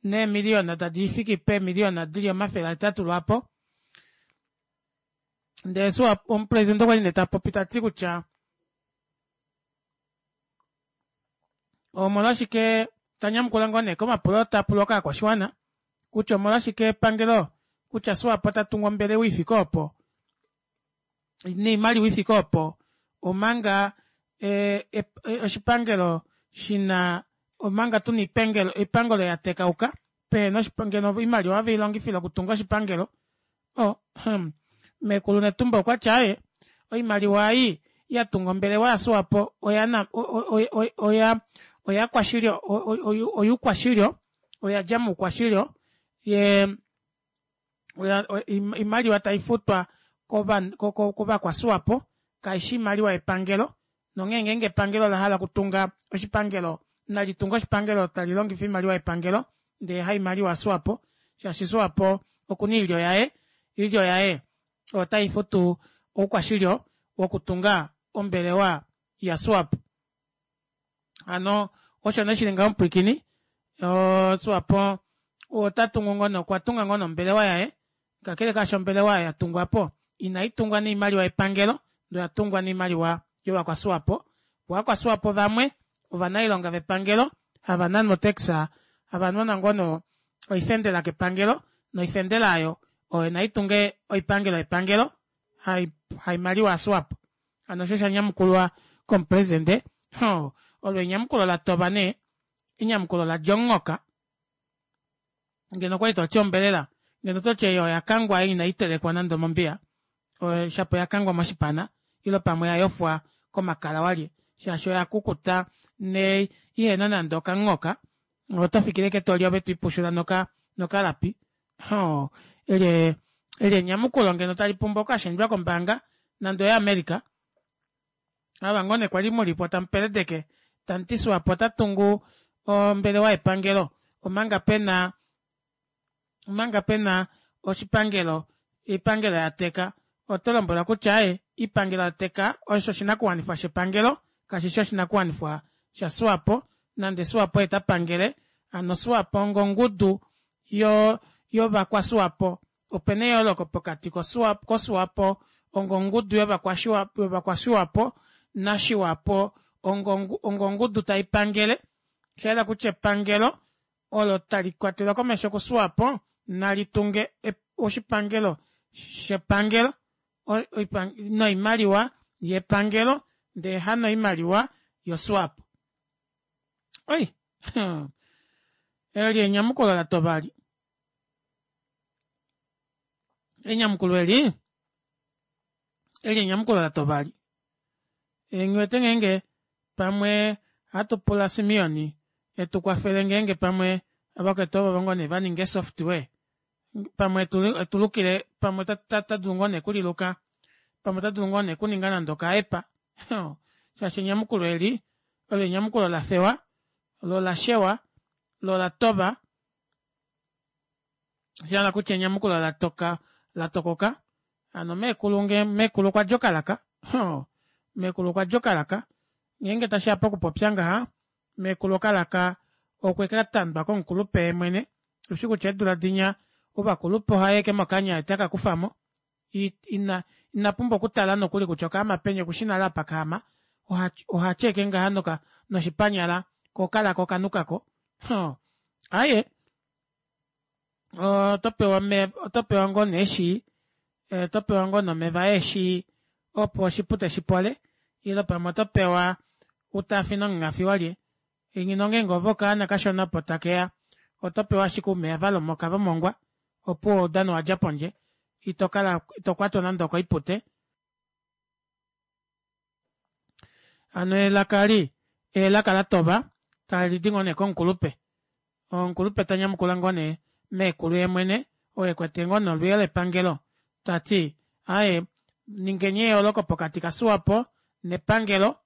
neemiliyona tadifiki peemiliyona dili omafele ahetatu lwaapo ndee omupresident okwali nee tapopi tati kutya omolwashike tanyamukula ngoo nee komapulo tapulwa kaakwashiwana kutya omolwashike epangelo kutya Swapo tatungu ombelewa ifike opo noimaliwa ifike opo omanga oshipangelo shina omanga tuna oipangelo yatekauka pehena ngeno oimaliwa oveilongifila okutunga oshipangelo oh meekulu Netumbo okwati aaye oimaliwa ei yatunga ombelewa ya Swapo oya oya oyakwashilyo oyuukwashilyo oyadja moukwashilyo yee oimaliwa taifutwa kovakwaswapo kaishi oimaliwa yepangelo nonghee ngenge epangelo olahala okutunga oshipangelo nalitunge oshipangelo talilongifa oimaliwa yepangelo ndee haimaliwa ya Swapo shaashi Swapo okuna oilyo yaye oilyo yaye oyo taifutu oukwashilyo wokutunga ombelewa ya Swapo hano osho nee shili ngaho omupwiikini Swapo otatungu ngoo nee okwatunga ngoo nee ombelewa yaye kakele kaasho ombelewa oyo yatungwapo inaitungwa noimaliwa yepangelo ndee oyatungwa noimaliwa yovakwaswapo voo ovakwaswapo vamwe ovanailonga vepangelo hava nanwa otax hava nanwa ngoo nee oifendela kepangelo noifendela aayo oyo naitunge oipangelo yepangelo haimaliwa yaSwapo hano osho shanyamukulwa komupresident olo enyamukulo latoba nee enyamukulo ladja omunghoka ngeno okwali toti ombelela ngeno ototi ei oyakangwa ei inaitelekwa nande omombiya shapo oyakangwa moshipana ile pamwe oyayofwa komakala walye shaashi oyakukuta ne ihena nande okamunghoka otofikile ashike toli ove twiipushula nokalapi eli enyamukulo ngeno talipumbwa okukashendjwa kombaanga nande oya America ava ngoo nee kwali mulipo tamupeledeke tamuti Swapo otatungu ombelewa yepangelo omanga pena omanga pena oshipangelo oipangelo yateka otolombwelwa kutya aaye oipangelo yateka osho oshinakuwanifwa shepangelo kashishi oshinakuwanifwa sha Swapo nande Swapo oye tapangele hano Swapo onga ongudu yovakwaswapo opena eyooloko pokati koswapo onga ongudu yovakwaswapo nashiwapo onga ongudu taipangele oshayela kutya epangelo olo talikwatelwa komesho kuswapo nalitunge oshipangelo shepangelo noimaliwa yepangelo ndee hanoimaliwa yoSwapo. Oi eli enyamukulo latoba eli enyamukulo eli eli enyamukulo latoba eli nghiwete ngeenge pamwe ohatupula Simeon etukwafele ngeenge pamwe ovakwetu ovo ngoo nee vaninga ee software pamwe etulukile pamwe otadulu ngoo nee okuliluka pamwe otadulu ngoo nee okuninga nande oka app shaashi enyamukulo eli olo enyamukulo lafewa loo olashewa loo olatoba Oshahala kutya enyamukulo latoka latokoka hano meekulu nge meekulu okwadja okalaka hoo meekulu okwadja okalaka ngeenge tashiya pokupopya ngaha meekulu okalaka okwekatandwa komukulupe yeemwene ushi kutya eedula dinya ovakulupe ohaya ashike mokanya yee tekakufamo ina inapumbwa okutala nokuli kutya okaama peni okushi nale apa kaama ohati ashike ngaha noshipanyala koo okalaka okanukako hoo aaye otopewa omeva otopewa ngoo nee eeshi otopewa ngoo nee omeva eeshi opo oshipute shipole ile pamwe otopewa utaafine omunghafi walye ngeno ngeenge ove okaana kashona opo takeya otopewa ashike oumeva valomoka vomongwa opuwo oudano owadja pondje itokala itokwatwa nande okoipute. Hano elaka eli elaka latova talidi ngoo nee komukulupe omukulupe tanyamukula ngoo nee meekulu yeemwene oo ekwete ngoo nee olwiyo lepangelo tati aaye ningeni eyooloko pokati ka swapo nepangelo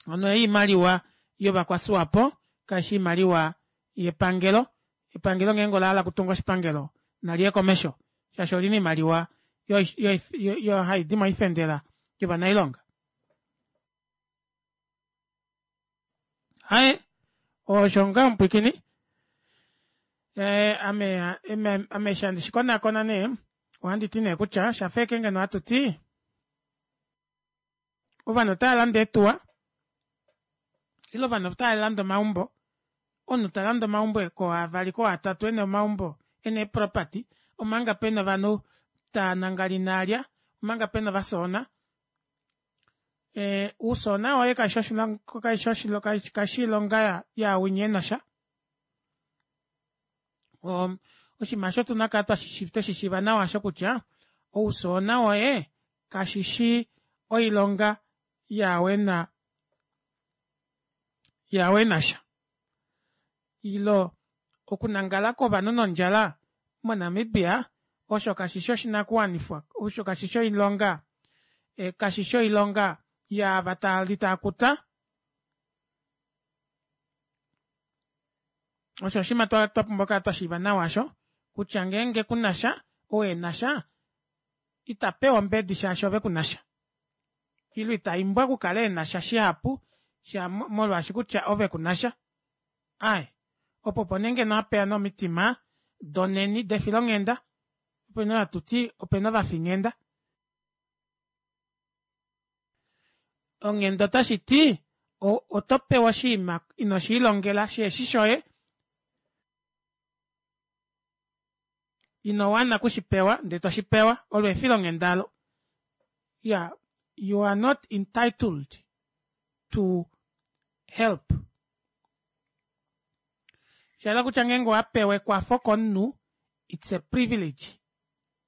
hano ei oimaliwa yovakwa swapo kaifi oimaliwa yepangelo epangelo ngeenge olahala okutunga oshipangelo naliye komesho shaashi olina oimaliwa haidi moifendela yovanailonga. Aaye osho ngaho mupwiikini ame ame eshi handi shikonakona nee ohanditi nee kutya oshafa ashike ngeno hatuti ovanhu otaalande eetuwa ile ovanhu otaalande omaumbo omunhu talande omaumbo kooavali koo atatu ena omaumbo ena eeproperty omanga pena ovanhu taanangala inaalya omanga pena ovasoona ee uusoona woye kaifi oshilongo kaifi oilonga yaawinya enasha oshinima aasho otuna okukala tweshishiiva nawa aasho kutya ousoona woye kashishi oilonga yaao ena yaao enasha ile okunangala kwovanhu nondjala mo namibia osho kashishi oshinakuwanifwa osho kashishi oilonga kashishi oilonga yaava taali taakuta osho oshinima twapumbwa okukala twashiiva nawa aasho kutya ngeenge kunasha ou enasha itapewa ombedi shaashi ove kunasha ile itaimbwa okukala enasha shihapu molwaashi kutya ove kunasha aaye opo opo nee ngeno hapeya nee omitima doneni defilonghenda opo nee hatuti opena ovafinghenda onghenda otashiti otopewa oshinima inoshiilongela shihefi shoye inowana okushipewa ndee toshipewa olo efilonghenda aalo iyaa you are not entitled to help oshahala kutya ngeenge owapewa ekwafo komunhu it's a privilege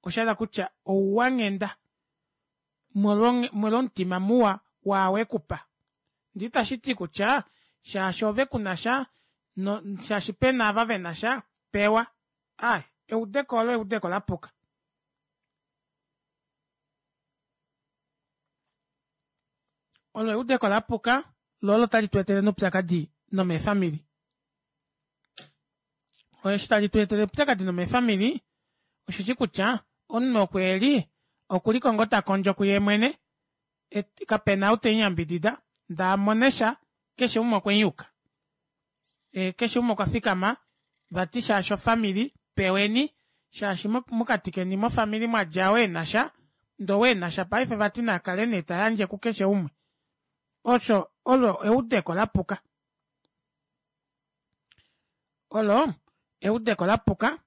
oshahala kutya ouwanghenda molwo omutima muwa waao ekupa ndee itashiti kutya shaashi ove kunasha shaashi pena ava venasha pewa aaye eudeko olo eudeko lapuka olo eudeko lapuka loo olo tali tweetele noupyakadi nomeefamili eshi tali tweetele oupyakadi nomeefamili osheshi kutya omunhu oku eli okuliko ngoo takondjo kuye mwene kapena ou temuyambidida ndee amonesha keshe umwe okwemuyuka keshe umwe okwafikama vati shaashi ofamili peweni shaashi mokati keni mofamili mwadja ou enasha ndee ou enasha paife vati nakale nee tayandje kukeshe umwe osho olo eudeko lapuka olo eudeko lapuka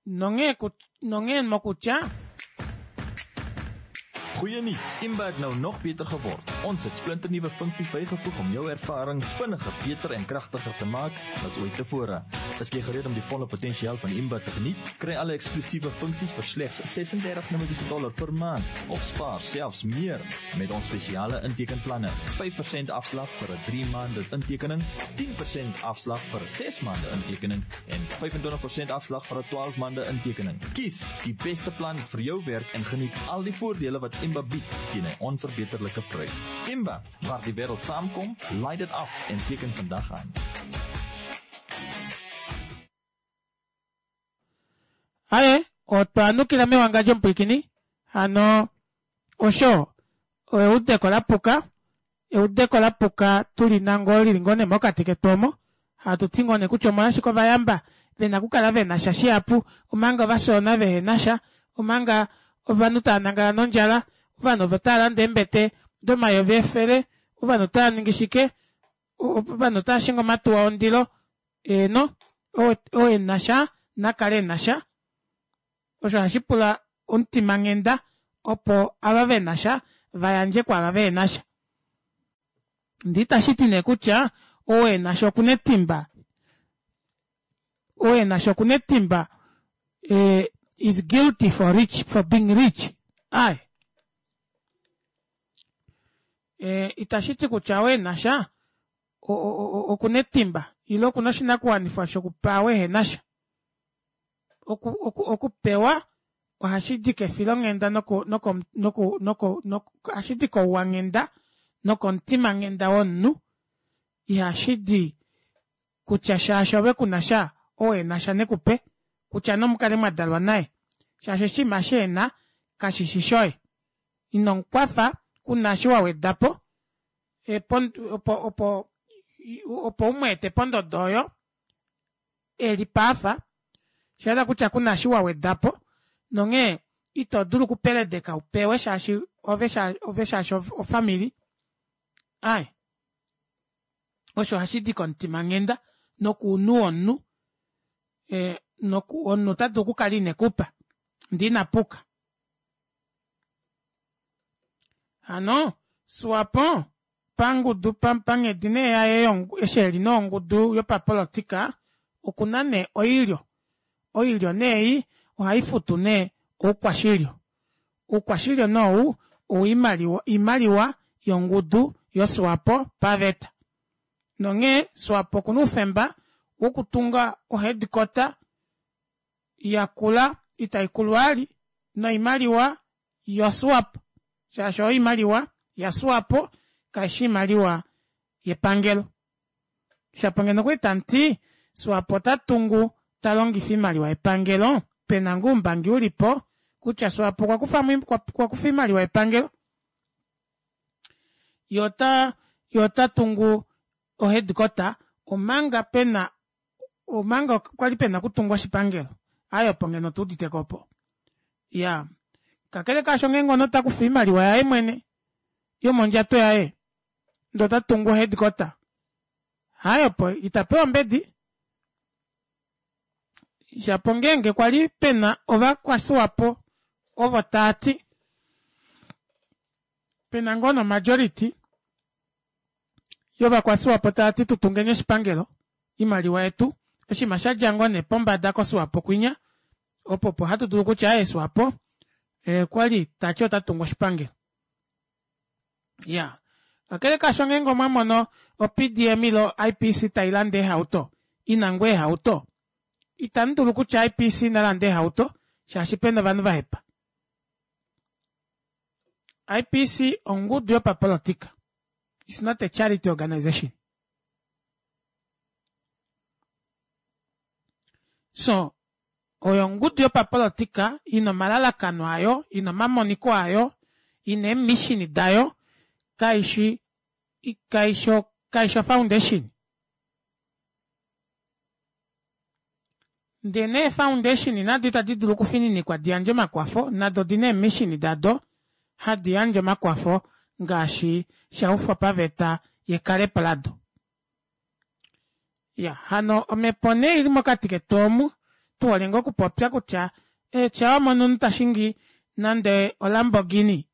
nonghee nonghee mokutya Goeie nuus, Imba het nou nog beter geword. Ons het splinternuwe funksies bygevoeg om jou ervaring vinniger, beter en kragtiger te maak as ooit tevore. Is jy gereed om die volle potensiaal van Imba te geniet? Kry alle eksklusiewe funksies vir slegs ses-en-dertig Namibiese dollar per maand of spaar selfs meer met ons spesiale intekenplanne. vyf persent afslag vir 'n drie maande intekening, tien persent afslag vir 'n ses maande intekening en vyf-en-twintig persent afslag vir 'n twaalf maande intekening. Kies die beste plan vir jou werk en geniet al die voordele wat Imba bied teen 'n onverbeterlike prys. Imba, waar die wêreld saamkom, laai dit af en teken vandag aan. Otwa nukila mewangadjo mupwiikini hano osho eudeko lapuka eudeko lapuka tulina ngoo lili ngoo nee mokati ketu omo hatuti ngoo nee kutya omolwashike ovayamba vena okukala venasha shihapu omanga ovafyoona vehenasha omanga ovanhu taanangala nondjala ovanhu otaalande eembete domayovi efele ovanhu otaaningi shike ovanhu otaashingi omatuwa ondilo eheno oo enasha nakale enasha osho ohashipula omutima nghenda opo ava venasha vayandje kwaava vehenasha ndee itashiti nee kutya ou enasha okuna etimba ou enasha okuna etimba is guilty for rich for being rich aaye itashiti kutya ou enasha okuna etimba ile okuna oshinakuwanifwa shokupa ou ehenasha okupewa ohashidi kefilonghenda noko noko noko noko ohashidi kouwanghenda nokomutima nghenda womunhu ihashidi kutya shaashi ove kunasha ou enasha nekupe kutya nee omukale mwadalwa naye shaashi oshinima eshi ena kashishi shoye inomukwafa kuna eshi wawedapo opo opo umweete pondodo oyo eli paafa oshahala kutya kuna eshi wawedapo nonghee ito dulu okupeledeka upewe shaashi ove shaashi ofamili aaye osho ohashidi komutima nghenda nokounhu womunhu omunhu otadulu okukala inekupa ndee inapuka hano swapo pangudu panghedi nee yaye eshi eli nee ongudu yopapolitika okuna nee oilyo oilyo nee ei ohaifutu nee oukwashilyo oukwashilyo nee ou oimaliwa yongudu yo swapo paveta nonghee swapo okuna oufemba wokutunga o headquarter yakula itaikulu vali noimaliwa yo swapo shaashi oyo oimaliwa ya swapo kaifi oimaliwa yepangelo shapo ngeno okwali tamuti swapo otatungu talongifa oimaliwa yepangelo pena ngoo oumbangi ulipo kutya swapo okwakufa oimaliwa yepangelo yee otatungu o headquarter omanga pena omanga kwali pena okutungwa oshipangelo aaye opo ngeno otuuditeko opo iyaa kakele kaasho ngeenge omunhu otakufa oimaliwa yaye mwene yomondjato yaye ndee otatungu o headquarter aaye opo itapewa ombedi shapo ngeenge kwali pena ovakwaswapo ovo taati pena ngoo nee o majority yovakwaswapo taati tutungeni oshipangelo oimaliwa yetu oshinima shadja ngoo nee pombada ko swapo kwinya opo opo hatu dulu kutya aaye swapo okwali tati otatungu oshipangelo iyaa kakele kaasho ngeenge omwamono o p d m ile o i p c tailande eehauto ina ngoo eehauto itamudulu kutya i p c nalande eehauto shaashi pena ovanhu vahepa I p c ongudu yopapolitika it's not a charity organisation so oyo ongudu yopapolitika ina omalalakano ayo ina omamoniko ayo ina eemishini dayo kaishi kaishi kaishi foundation ndee nee foundation nado ita didulu okufininikwa diyandje omakwafo nado odina eemishini dado hadi yandje omakwafo ngaashi shaufwa paveta yekalepo lado iya hano omepo nee ili mokati ketu omu tuhole ngoo okupopya kutya shaa wamono omunhu tashingi nande o lamborghini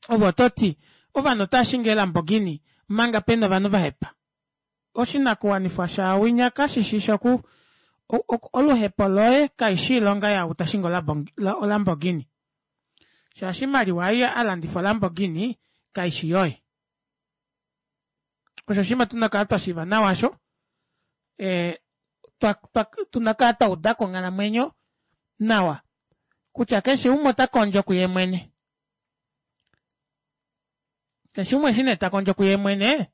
ove ototi ovanhu otaashingi ee lamborghini omanga pena ovanhu vahepa oshinakuwanifwa shaawinya kashishi shoku oluhepo loye kaishi oilonga yaau tashingi o lamborghini shaashi oimaliwa ei alandifa o lamborghini kaishi yoye osho oshinima tuna okukala twashiiva nawa aasho tuna okukala twaudako onghalamwenyo nawa kutya keshe umwe otakondjo kuye mwene keshe umwe eshi nee takondjo kuye mwene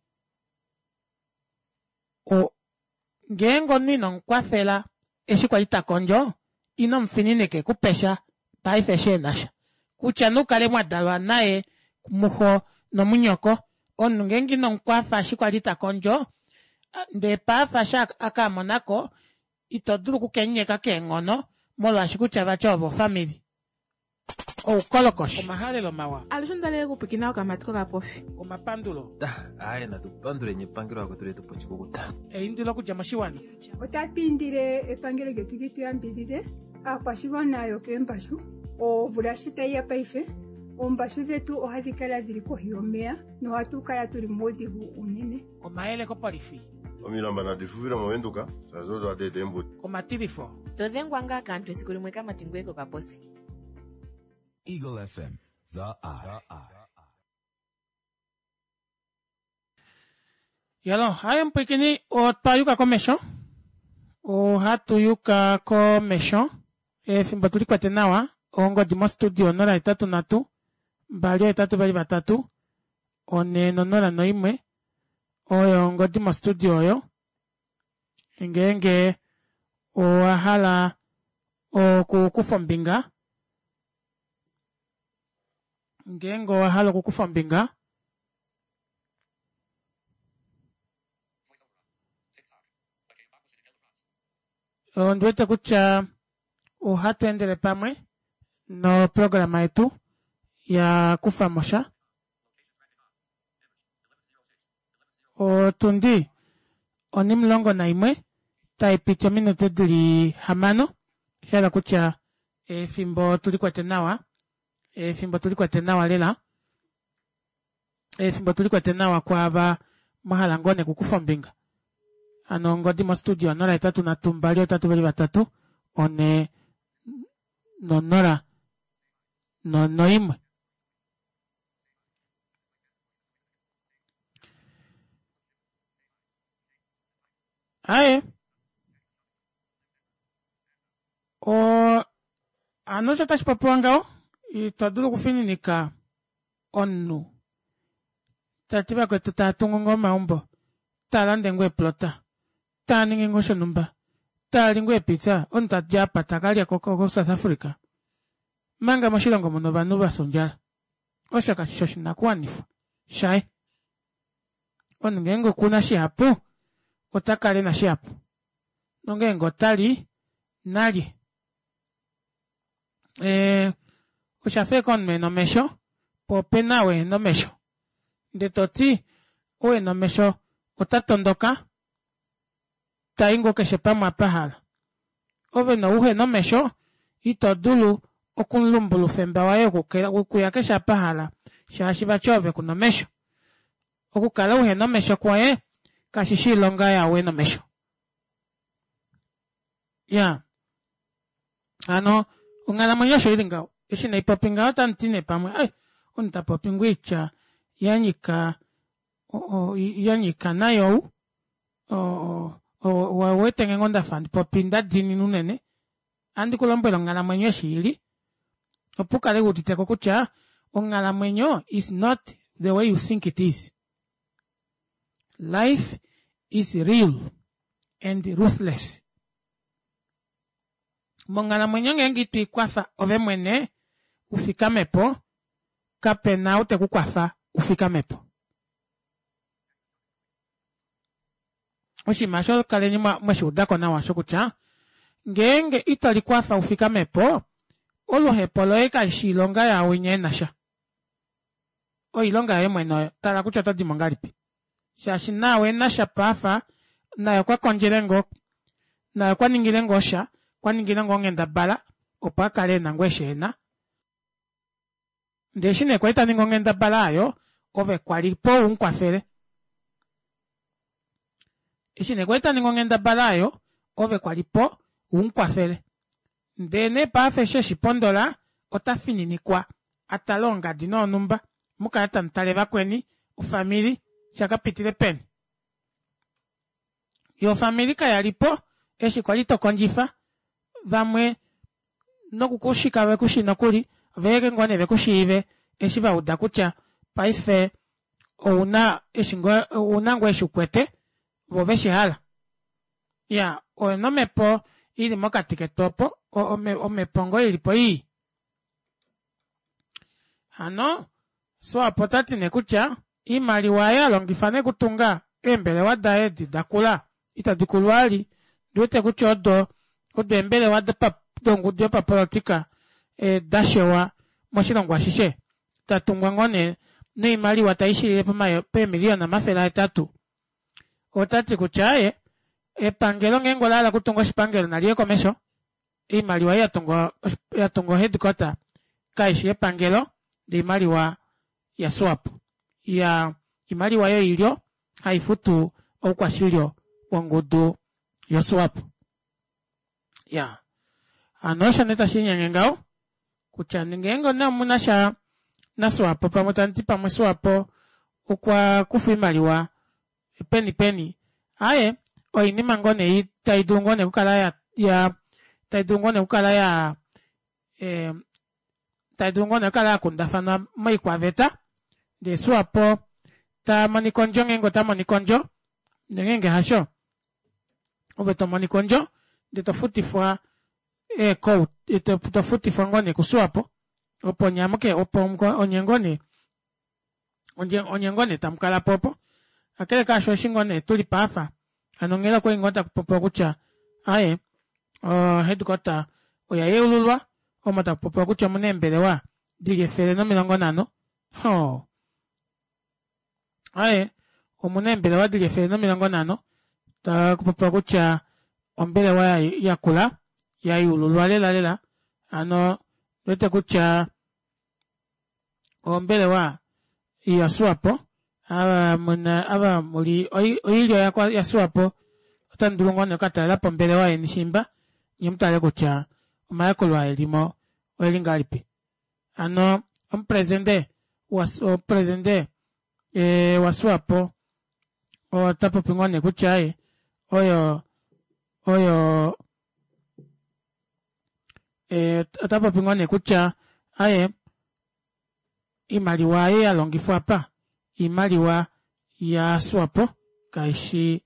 ngeenge omunhu inomukwafela eshi kwali takondjo Ino mufininike ekupesha paife eshi enasha kutya nee ukale mwadalwa naye muxo nomunyoko omunhu ngeenge inomukwafa eshi kwali takondjo ndee paife eshi akamonako ito dulu oku kemunyeka keenghono molwaashi kutya vati ove ofamili oukolokoshi omahalelo mawa Alushe ondalele okupwiikina okamati kokapofi. Omapandulo. Aaye natu panduleni epangelo lakwetu letu pa oshikukuta. Eindilo okudja moshiwana. Otatu indile epangelo lyetu li tu yambidhidhe aakwashigwana yokeembashu omvula shi tayi ya paife oombashu dhetu ohadhi kala dhili kohi yomeya nohatu kala tuli muudhigu unene. Omayele kopolifi. Omilamba nadi fufile mOvenduka shaashi odo hadi eta eembuto. Omatilifo. To dhengwa ngaa kaantu esiku limwe kamati ngoye kokaposi. Eagle F M, the eye. Yalo, haye mupwiikini otwa yuka komesho. Ohatu yuka komesho. Efimbo tuli kwete nawa. Ongodi mostudio onola hetatu nhatu mbali ohetatu vali vatatu one nonola noimwe oyo ongodi mostudio oyo ngeenge owa hala okukufa ombinga ngeenge owa hala okukufa ombinga ondiwete kutya ohatu endele pamwe noprograma yetu ya kufamosha otundi onimulongo naimwe taipiti ominute dili hamano shahala kutya efimbo tulikwete nawa efimbo tulikwete nawa lela efimbo tulikwete nawa kwaava mwahala ngoo nee okukufa ombinga hano ongodi mostudio onola hetatu nhatu mbali ohetatu vali vatatu one nonola noimwe. Aye o hano osho tashi popiwa ngaho ito dulu okufininika omunhu tati vakwetu taatungu ngoo omaumbo taalande ngoo eeplota taaningi ngoo shonumba taali ngoo eepizza omunhu tadi apa takalya ko South Africa manga moshilongo muna ovanhu vafya ondjala osho kashishi oshinakuwanifwa shaye omunhu ngeenge okuna shihapu otakala ena shihapu nongeenge otali nalye ee oshafa ashike omunhu ena omesho poo opena ou ehena omesho ndee toti ou ena omesho ota tondoka tai ngoo keshe pamwe apa ahala ove nee ou uhena omesho ito dulu okumulumbula oufemba waye wokuya keshe apa ahala shaashi vati ove kuna omesho okukala uhena omesho kwoye kashishi oilonga yaau ena omesho iyaa hano onghalamwenyo osho ili ngaho eshi naipopi ngaho otamuti nee pamwe ai omunhu tapopi ngoo oitya yanyika yanyika nayi ou ouwetenge ngoo ndafa handi popi ndadiinina unene ohandi kulombwele onghalamwenyo eshi ili opo ukale wuuditeko kutya onghalamwenyo is not the way you think it is. Life is real and ruthless. Monghalamwenyo ngeenge itwiikwafa ove mwene ufikamepo kapena ou tekukwafa ufikamepo. Oshinima osho kaleni mweshiudako nawa osho kutya ngeenge ito likwafa ufikamepo oluhepo loye kaishi oilonga yaawinya enasha oilonga yoye mwene oyo tala kutya otodimo ngahelipi shaashi naau enasha paafa naye okwa kondjele ngoo naye okwa ningile ngoo sha okwa ningile ngoo onghendabala opo akale ena ngoo eshi ena ndee eshi nee kwali taningi onghendabala aayo ove kwalipo umukwafele eshi nee kwali taningi onghendabala aayo ove kwalipo umukwafele ndee nee paife eshi eshipondola ota fininikwa atale ongadi noonumba mukale tamutale vakweni ofamili shakapitile peni yoo ofamili kayalipo eshi kwali tokondjifa vamwe nokukushi kavekushi nokuli oveeke ngoo nee vekushiive eshi vauda kutya paife ouna eshi ngoo ouna ngoo eshi ukwete voo veshihala iyaa oyo nee omepo ili mokati ketu opo Omhepo ngoo ilipo ii. Hano Swapo otati nee kutya oimaliwa aayo alongifa nee okutunga eembelewa daye edi dakula ita dikulu vali ondiwete kutya odo odo eembelewa dongudu yopapolitika dashewa moshilongo ashishe datungwa ngoo nee noimaliwa taishilile peemiliyona omafele ahetatu. Otati kutya aaye epangelo ngeenge olahala okutunga oshipangelo naliye komesho oimaliwa ei yatunga o headquarter kaishi yepangelo ndee oimaliwa ya swapo iyaa oimaliwa yoilyo haifutu oukwashilyo wongudu yo swapo. Iyaa hano osho nee tashiinyenge ngaho kutya ngeenge nee omunasha naswapo pamwe tamuti pamwe swapo okwakufa oimaliwa peni peni aaye oinima ngoo nee taidulu ngoo nee okukala yaa taidulu ngoo nee okukala yaa taidulu ngoo nee okukala yakundafanwa moikwaveta ndee swapo tamonika ondjo ngeenge otamonika ondjo ndee ngeenge hasho ove tomonika ondjo ndee tofutifwa ee court tofutifwa ngoo nee kuswapo opo nyee amuke opo onye ngoo nee onye ngoo nee tamukalapo opo kakele kaasho eshi ngoo nee tulipo aafa hano onghela okwali ngoo takupopiwa kutya aaye o headquarter oya yeululwa omo takupopiwa kutya omuna eembelewa dili efele nomilongo nhano hoo aaye omuna eembelewa dili efele nomilongo nhano takupopiwa kutya ombelewa yakula yayeululwa lela lela hano ondiwete kutya ombelewa yaswapo ava muna ava muli oilyo yaswapo otamudulu ngoo nee okukatalelapo ombelewa yeni shiimba nyee mutale kutya omayakulo aa elimo oeli ngahelipi. Hano omupresident omupresident waswapo otapopi ngoo nee kutya aaye oyo oyo otapopi ngoo nee kutya aaye oimaliwa ei yalongifwa aapa oimaliwa ya swapo kaishi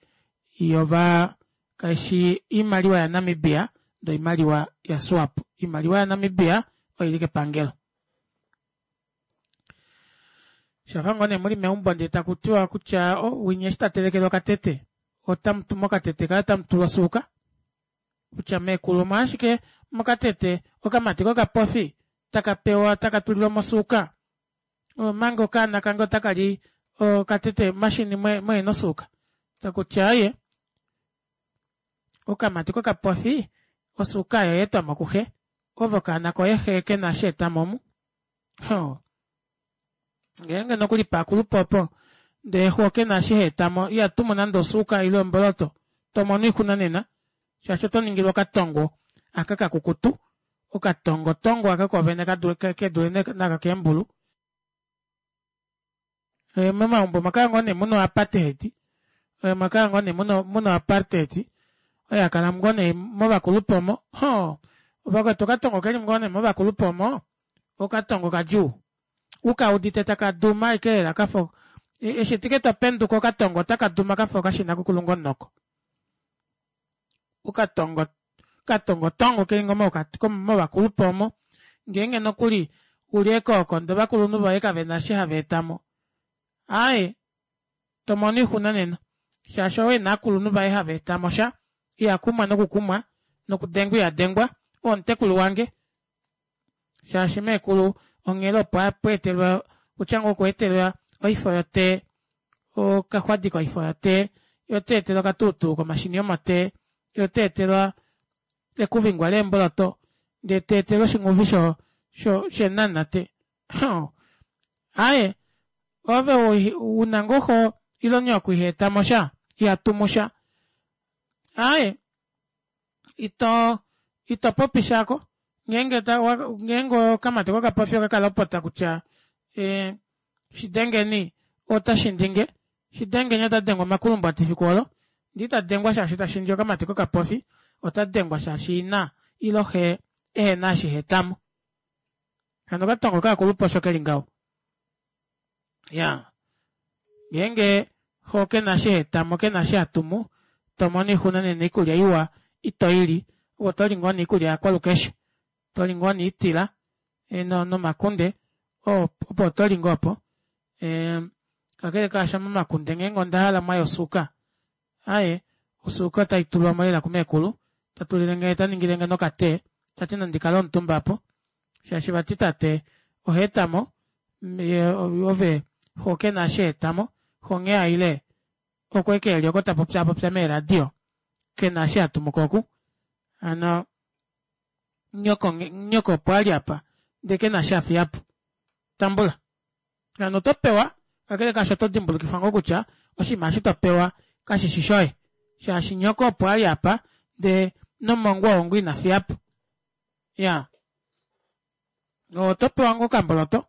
yova kaishi oimaliwa ya namibia ndee oimaliwa ya swapo. Oimaliwa ya namibia oili kepangelo. Shafa ngoo nee muli meumbo ndee takutiwa kutya oh winya eshi tatelekelwa okatete otamutu mokatete kaye otamutulwa osuuka kutya meekulu omolwashike mokatete okamati kokapofi taka pewa taka tulilwamo osuuka omanga okaana kange otakali okatete mashini muhena osuuka takutya aaye okamati kokapofi osuuka aayo oyaetwamo kuxe ove okaana koye xe kena eshi aetamo omu hoo ngeenge nokuli paakulupe opo ndee xo kena eshi haetamo ihatumu nande osuuka ile omboloto tomono oixuna nena shaashi otoningilwa okatongo aka kakukutu okatongotongo aka koovene kedule naaka keembulu. Momaumbo omwakala ngoo nee muna o apartheid omwakala ngoo nee muna o apartheid oyo yakala ngoo nee movakulupe omo hoo vakwetu okatongo keli ngoo nee movakulupe omo okatongo kadjuu ukaudite taka duma ashike lela kafa eshi ashike topenduka okatongo otaka duma kafa okashina kokulunga omunoko. Okatongo okatongotongo keli ngoo movakulupe omo ngeenge nokuli uli ekooko ndee ovakulunhu voye kavena eshi hava etamo aaye tomono oixuna nena shaashi ou ena ovakulunhu vaye hava etamosha ihakumwa nokukumwa nokudengwa ihadengwa oo omutekulu wange shaashi meekulu onghela opo etelwa kutya ngoo okwa etelwa oifo yo tea okaxwadi koifo yo tea yee ota etelwa okatuutuu komashini omotee yee ota etelwa ekuvingwa leemboloto ndee teetelwa oshinghuvi shenamunate hoo aaye ove una ngoo xo ile nyoko ihaetamosha ihatumusha aaye ito ito popi shako ngeenge ngeenge okamati kokapofi okakalopota kutya ee shidengeni otashindinge shidengeni otadengwa omakulumbwati efiku oolo ndee itadengwa shaashi tashindi okamati kokapofi otadengwa shaashi ina ile xe ehena eshi haetamo. Hano okatongo kovakulupe osho keli ngaho. Iyaa ngeenge xo kena eshi haetamo kena eshi hatumu tomono oixuna nena oikulya iwa itoili Ove otoli ngoo nee oikulya yakwalukeshe, toli ngoo nee oitila nomakunde opo otoli ngoo opo. Kakele kaasho momakunde ngeenge ondahala mwaya osuuka aaye osuuka otaitulwamo lela kumekulu tatulilenge taningilenge noka tea tati nandi kale omutumba aapo shaashi vati tate ohaetamo yee ove xoo kena eshi haetamo xoo nghee aile oko ashike eli oko tapopyaapopya meeradio kena eshi hatumuko oku hano nyoko opo ali aapa ndee kena eshi afiyapo tambula hano otopewa kakele kaasho oto dimbulukifwa ngoo kutya oshinima eshi topewa kashishi shoye shaashi nyoko opo ali aapa ndee nomongwa oo ngoo inafiyapo iyaa otopewa ngoo okamboloto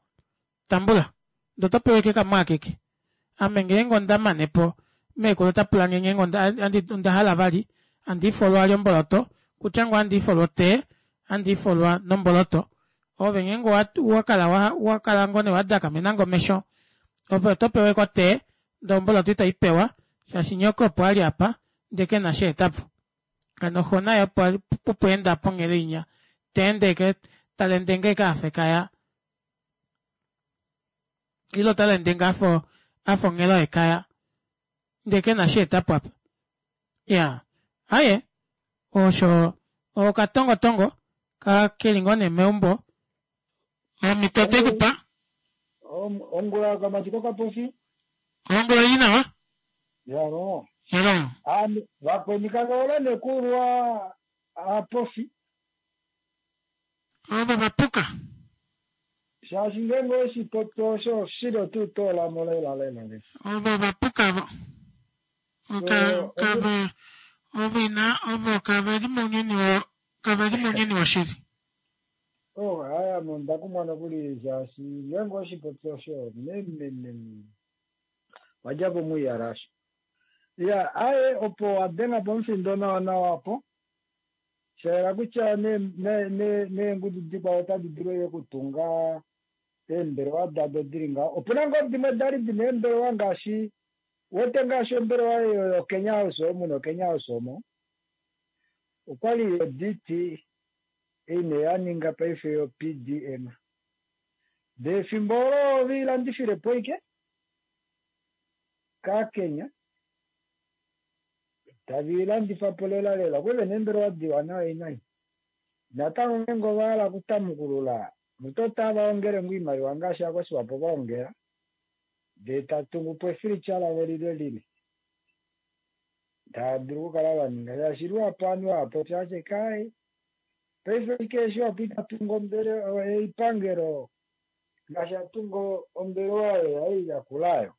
tambula ndee otopewa ashike kamwe akeke ame ngeenge ondamanepo meekulu otapulange ngeenge ondahala vali handiifolwa vali omboloto kutya ngoo ohandiifolwa o tea ohandiifolwa nomboloto ove ngeenge owakala owakala ngoo nee wadakamena omesho ove otopewa ashike o tea ndee omboloto ito ipewa shaashi nyoko opo ali aapa ndee kena eshi aetapo hano xoo naye opo aenda ponele inya teende ashike talende ngoo ashike afa ekaya ile otalende ngoo afa onghelo yekaya ndee kena eshi aetapo aapa iyaa aaye osho okatongotongo keli ngoo nee meumbo omito otwekupa ongula kamati kokapofi ongula oilinawa yalo yalo vakweni kavaola nekulwa apofi ovo vapuka shaashi ngeenge oweshipopi osho oshili tuu toolamo lela lela lela ovo vapuka vo kave ovo ina ovo kaveli mounyuni kaveli mounyuni woshili oh haya onda kumwa nokuli shaashi ngeenge oweshipopi osho memememe wadjapo muiyala asho ya aye opo wadenga po omufindo nawa nawa apo shayela kutya neengudu dikwao otadi dulu yo okutunga eembelewa dado dili ngaho opuna ngoo dimwe dali dina eembelewa ngaashi wete ngaashi ombelewa eyo yoKenya House omu noKenya House omo okwali yo D T ei yaninga paife yo P D M ndee efimbo olo oveilandifile po ike kaKenya tavilandifa po lela lela okwali vena eembelewa diwa nawa inai natango ngeenge ovahala okutamukulula mutu otava ongele ngoo oimaliwa ngaashi akwasiwapo vaongela ndee tatungu po efilitya lavo lilwe lili tadulu okukala vaninga shaashi luhapu ovanhu vapopya ashike kai paife ike eshi wapo itatunga ombele eipangelo ngaashi atunga ombelewa oyo yai yakulayo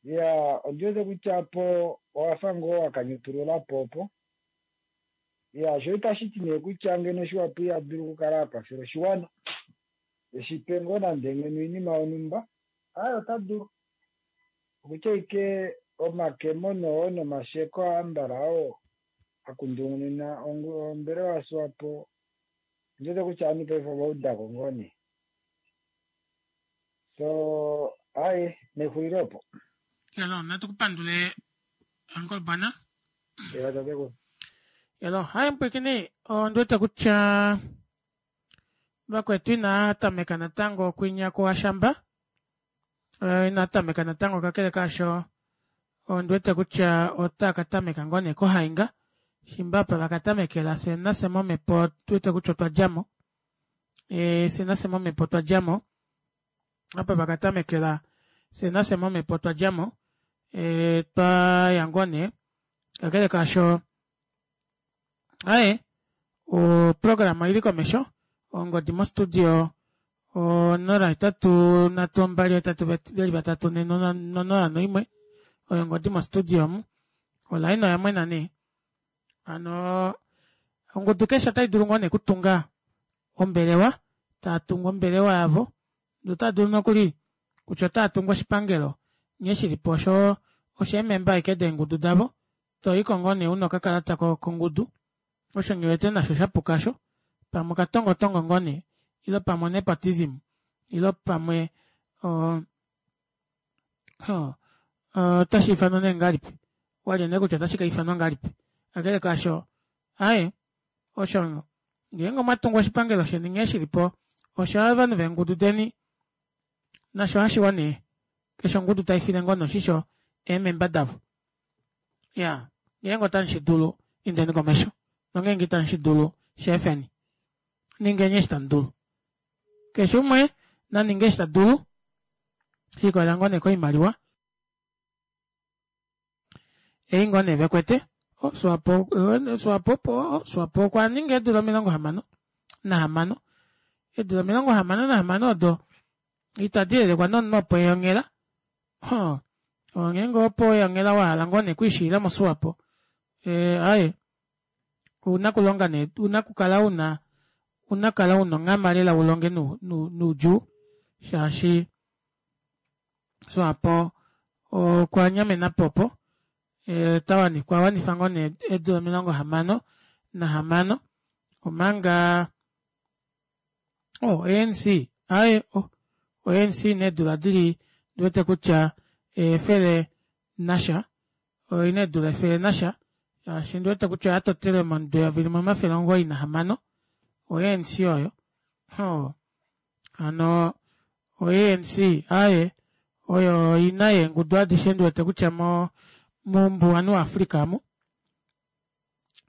ya ondiwete kutya po owafa ngoo wakanyutulula po opo ya sho itashiti nee kutya ngeno shiwapo ihadulu okukala akwafela oshiwana eshipe ngoo nande ngeno oinima yonhumba aye ota dulu okutya ike omakemo noo nomasheko aambala oo akundungunina ombelewa yaswapo ondiwete kutya ovanhu paife ovaudako ngoo nee so aye nexulilo opo yalo natukupandule uncle bwana eva yalo haye mpwikini ondiwete kutya vakwetu inaatameka natango kwinya kuwashamba inatameka natango kakele kaasho ondiwete kutya otakatameka ngoo nee kohainga shimba apa vakatamekela fye nafye momhepo tuwete kutya otwa djamo fye nafye momhepo otwa djamo apa vakatamekela fye nafye momhepo otwa djamo twaya ngoo nee kakele kaasho aaye oprograma oili komesho ongodi mo studio onola hetatu nhatu mbali hetatu veli vatatu nonola noimwe oyo ongodi mo studio omu olaina oyamwena nee hano ongudu keshe otaidulu ngoo nee okutunga ombelewa taatungu ombelewa yavo ndee otaadulu nokuli kutya otaatungu oshipangelo nghee shilipo osho osheememba ashike deengudu davo toyiko ngoo nee una okakalata kongudu osho nghiwete nasho shapuka aasho pamwe okatongotongo ngoo nee ile pamwe o nepotism ile pamwe otashiifanwa nee ngahelipi walye nee kutya otashi kaifanwa ngahelipi kakele kaasho aaye Osho ngeenge omwatungu oshipangelo sheni nghee shilipo osha ovanhu veengudu deni nasho hashiwa nee keshe ongudu taifile ngoo nee oshisho eememba davo. Iyaa ngeenge otamushidulu indeni komesho nongeenge itamushidulu sheefeni ningeni eshi tamudulu keshe umwe naninge eshi tadulu shikolela ngoo nee koimaliwa ei ngoo nee vekwete Swapo Swapo Swapo okwaninga eedula omilongo hamano nahamano eedula omilongo hamano nahamano odo itadi yelekwa nomunhu opo eya onghela hoo ngeenge opo weya onghela wahala ngoo nee okwiishilila mo swapo ee aaye ouna okulonga nee ouna okukala una ouna okukala una onghama lela ulonge noudjuu shaashi swapo okwanyamenapo opo okwa wanifa ngoo nee eedula omilongo hamano nahamano omanga oh A N C aaye oh o A N C oina eedula dili ondiwete kutya efele nasha oina eedula efele nasha shaashi ondiwete kutya oyatotelwe momudo eyovi limwe omafele omugoyi nahamano o A N C oyo hoo hano o A N C aaye oyo ina yeengudu adishe ndiwete kutya mo moumbuwanhu wa africa amu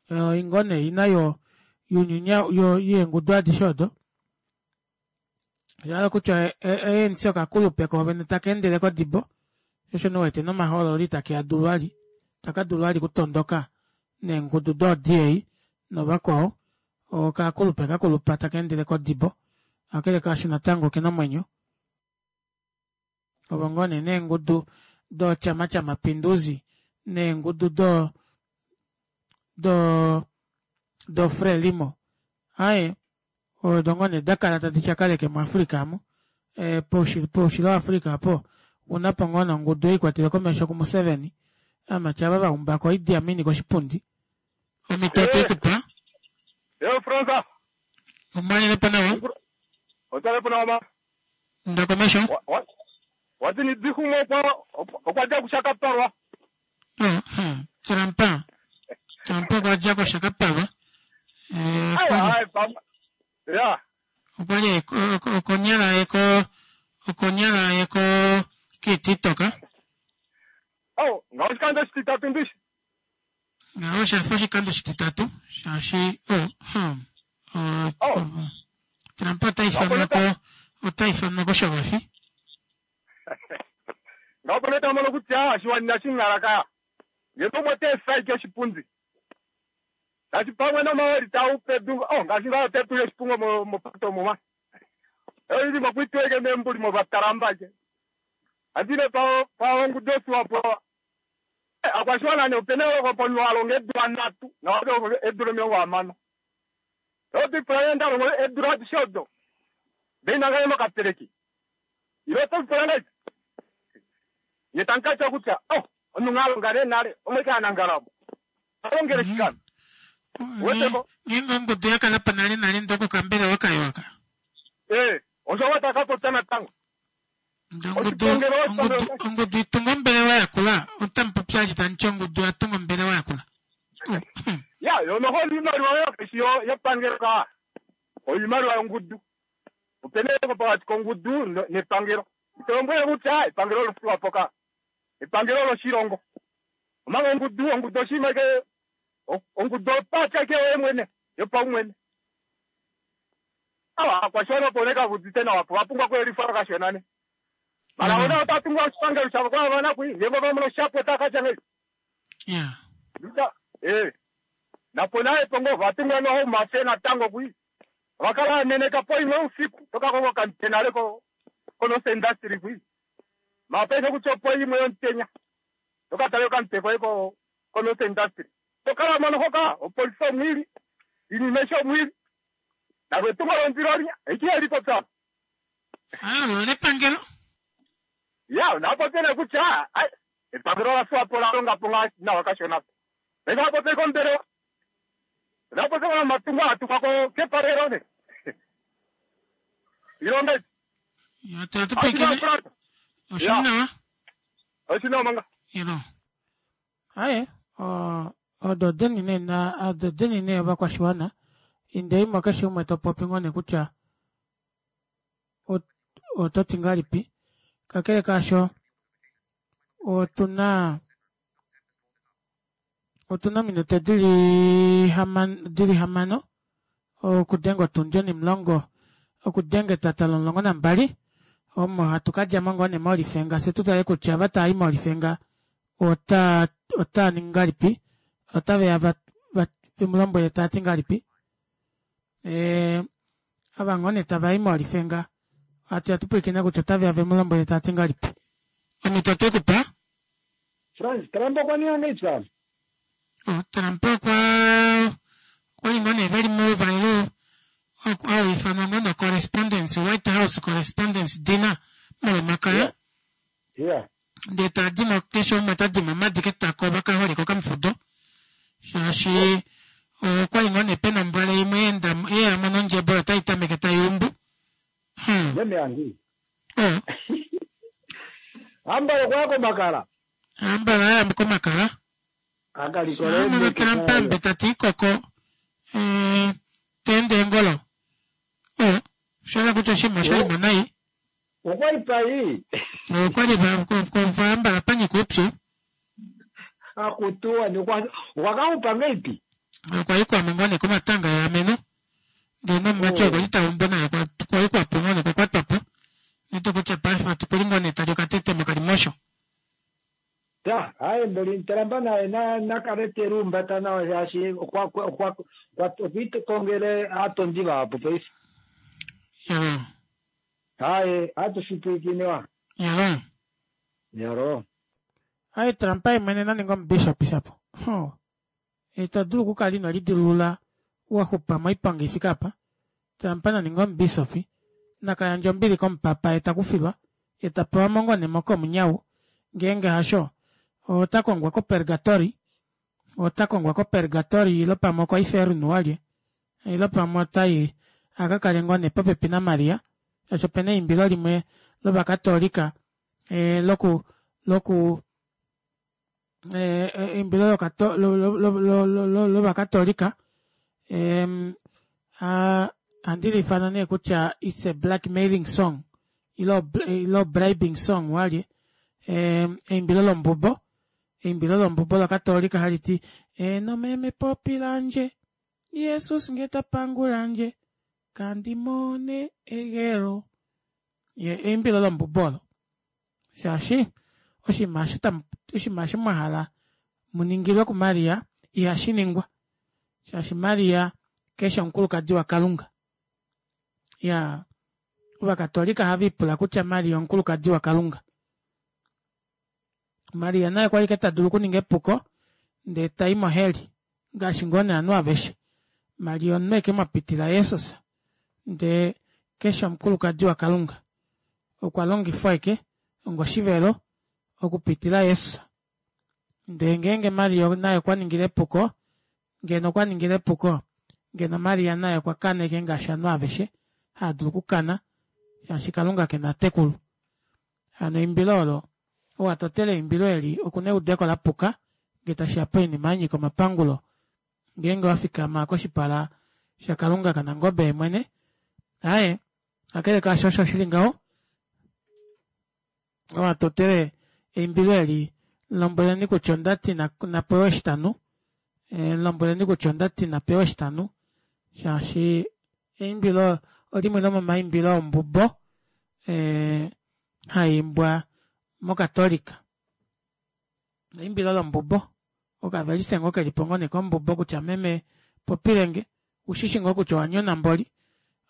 oyo ngoo nee ina yo yeengudu adishe odo oshahala kutya A N C okakulupe koovene takeendele kodibo shoo osho nee uwete nomahoololo itakeadulu vali itakadulu vali okutondoka neengudu doo D A novakwao okakulupe kakulupa takeendele kodibo kakele kaasho natango okena omwenyo ovo ngoo nee neengudu do chama cha mapinduzi neengudu do do do frelimo aaye odo ngoo nee dakala tadi tyakaleke mu africa amu e, poushilo wa africa aapo ounapo ngoo nee ongudu ei ikwatelwe komesho ku museveni aamati ava vaumbako Idi Amin koshipundi omito otwekupa Yo Fransa. Omalelepo nawa. Otalepo nawa ma. Nda komesho. Wati ni dihumo okwa okwa dja kushakapalwa. Trump. Trump okwa dja koshakapalwa. Eh, Ai ai ya. Okwali okonyala yeko okonyala yeko kiTikTok. Oh, ngaho oshikando oshititatu ndishi. Ngaho oshafa oshikando oshititatu shaashi oh, hmm, oh, oh. Trump ota ifanwa ko ota ifanwa koshovafi. Ngaho pano tamono kutya oshiwana shingalaka. Ngeno umwe te efa oshipundi. Ngaashi pamwe nomaweli tau pedu, oh ngaashi ngaho te tuye oshipungo mo mopato muma. Oili mokwitweke membuli movatalamba je. Andine pa pa ongudu Swapo. Akwashiwana ne opena okoponwa alonga eedula nhatu naado eedula omilongo hamano. Otipula yenda longo eedula adishe odo. Ndee inanga mokapeleki. Ilo otipula ngahelipi? Ye tankatya kutya oh omunhu alonga nee nale omwe kaanangalamo. Alongele shikano. Weteko. Ngeenge ongudu yakala po nale nale ndee okokambelewa kayo aka. Eh, osho watakapopya natango. Ongudu ongudu itunga ombelewa yakula otamupopi ali tamuti ongudu yatunga ombelewa yakula. Ya, yo noho oimaliwa oyo kaishi yepangelo ka. Oimaliwa yongudu. Opena pokati kongudu nepangelo. Itombwele kutya epangelo loSwapo ka. Epangelo loshilongo. Omanga ongudu ongudu oshinima ke ongudu opatya ke yoye mwene yopaumwene. Awa akwashiwana opo nee kavudite nawa po vapumbwa okuyelifwa kashona ne. Mara ona otatungwa oshipangelo shavo kwa vana kui ngeenge vamono shapo otakatya ngahelipi. Yeah. Nda eh napo naye pongo vatungwa noho mafe natango kui. Vakala aneneka po imwe usiku toka koko kantenale ko kono industry kui. Mapesa kutya opo imwe yomutenya. Toka tale okanteko ko kono industry. Tokala mono hoka opolisi omwili inimesha omwili. Nalo etungo londilo linya ekiyelipo pya. Ah, lepangelo. Ya, napopele kutya epangelo la Swapo la longa po nawa kashona. Napopele kombelewa. Napopele matungo atukwa ko kepalelo ne. Ilonga. Ya tatu pekele. Oshinawa. Oshinawa manga. Ilo. Aye, odo deni nee na odo deni nee ovakwashiwana Indeimo keshe umwe topopi ngoo nee kutya ototi ngahelipi. Kakele kaasho otuna otuna ominute dili dili hamano okudenga otundi onimulongo okudenga etata lomulongo nambali omo hatu kadjamo ngoo nee molifenga fyee tutale kutya ava taayi molifenga ota otaaningi ngahelipi otaveya vemulombwele taati ngahelipi ee ava ngoo nee tavayi molifenga hatuya tupwilikine kutya otaveya vemulombwele taati ngahelipi. Omito otwekupa. Frans, Trump okwa ninga ngahelipi Sam? Trump okwa okwali ngoo nee veli mouvalelo hauifanwa ngoo nee correspondence White House correspondence dinner molomakaya. Yeah. Ndee tadimo keshe umwe tadimo omadi ketako vakaholeka okamufudo shaashi okwali ngoo nee pena ombwale imwe yeenda yeyamo nondjebo oyo tai tameke taiumbu. Hmm. Meme yangi. Ambala okwaya komakala. Ambala aya komakala. Akalikole Amono Trump ambe tati koko eh, teende engolo. Oh, oshahala kutya oshinima oshalimo nai. Okwali pai. Okwali vaambala panyika oupyu. Akutuwa ni okwa okwa ngahelipi? Okwa kwamo ngoo nee komatanga eameno. Ndee nomumati okwali taumbu naye kwali kwapo ngoo nee okwa kwatwapo. Nito kutya paife okuli ngoo nee tali okatete mokalimosho. Ta, aye mboli Trump naye na nakale telumbata nawa shaashi okwa okwa okwa okwiitokongele aatondi vahapu paife. Yalo. Aye, atushipwikinewa. Yalo. Yalo. Aye Trump ye mwene naninga omubishop shapo. Ho. Ito dulu okukala ino lidilulula waxupa moiponga ifike apa. Trump naninga omubishop nakayandja ombili komupapa ye takufilwa ye tapewa mo ngoo nee mokomunyau ngeenge hasho ota kongwa kopergatori ota kongwa kopergatori ilo pamwe okoiferno walye ilo pamwe otai akakale ngoo nee popepi naMaria shaashi opena eimbilo limwe lovakatolika e, loku loku e, eimbilo lokato, lo, lo, lo, lo, lo, lo, lovakatolika e, a, handi liifana nee kutya it's a blackmailing song ilo, ilo bribing song walye e, eimbilo lombubo eimbilo lombubo lakatolika hali ti eno meme popilandje Jesus nge tapangulandje kandimone egelo. Ye eimbilo lombubo olo shaashi oshinima osho tamu oshinima osho mwahala muningilwe kuMaria ihashi ningwa shaashi Maria keshe omukulukadi waKalunga. Ya ovakatolika ohava ipula kutya Maria omukulukadi waKalunga. Maria naye kwali ke tadulu okuninga epuko ndee tai moheli ngaashi ngoo nee ovanhu aveshe. Maria omunhu eke mwapitila Jesus ndee keshe omukulukadi waKalunga okwa longifwa eke ongoshivelo okupitila Jesus. Ndee ngeenge Maria naye okwa ningile epuko ngeno okwa ningile epuko ngeno Maria naye okwa kana eke ngaashi ovanhu aveshe haadulu okukana shaashi Kalunga kena tekulu. Hano eimbilo olo ou atotele eimbilo eli okuna eudeko lapuka ngee tashiya poinima yanyika omapangulo ngeenge wafikama koshipala shaKalunga kaNangobe yemwene. Aaye kakele kaasho osho shili ngaho ou atotele eimbilo eli lombweleni kutya ondati napewe oshitanu e, lombweleni kutya ondati napewe oshitanu shaashi eimbilo olimwe lomomaimbilo ombubo e, haiimbwa mokatolika. Eimbilo lombubo okavelise ngoo kelipo ngoo nee kombubo kutya meme popilenge ushishi ngoo kutya owanyona mboli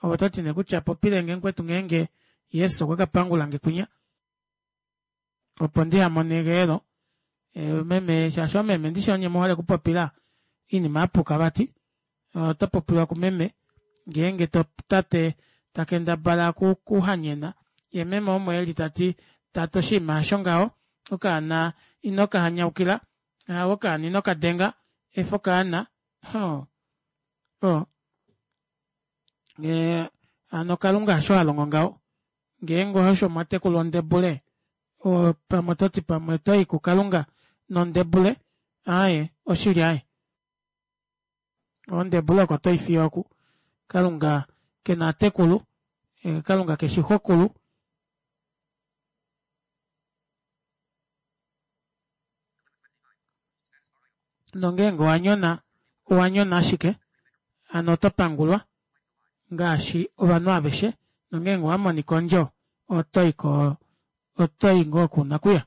ove ototi nee kutya popilenge mukwetu ngeenge Jesus okwa kapangulange kwinya opo ndihamone egeelo. E, meme shaashi omeme ndishi onye muhole okupopila oinima yapuka vati oto popilwa kumeme ngeenge to tate takendabala kuhanyena ye meme omo eli tati tate oshinima hasho ngaho okaana ino kahanyaukila okaana ino kadenga efa okaana ho o e, hano Kalunga hasho halongo ngaho ngeenge osho mwatekulwa ondebule o, pamwe ototi pamwe otoyi kuKalunga nondebule aaye oshili aaye ondebule oko toifiya oku Kalunga kena atekulu, Kalunga keshi xokulu. Nongeenge owa nyona, owa nyona ashike, hano oto pangulwa ngaashi ovanhu aveshe, nongeenge owa monika ondjo, oto i ko oto i ngoo kuna kuya.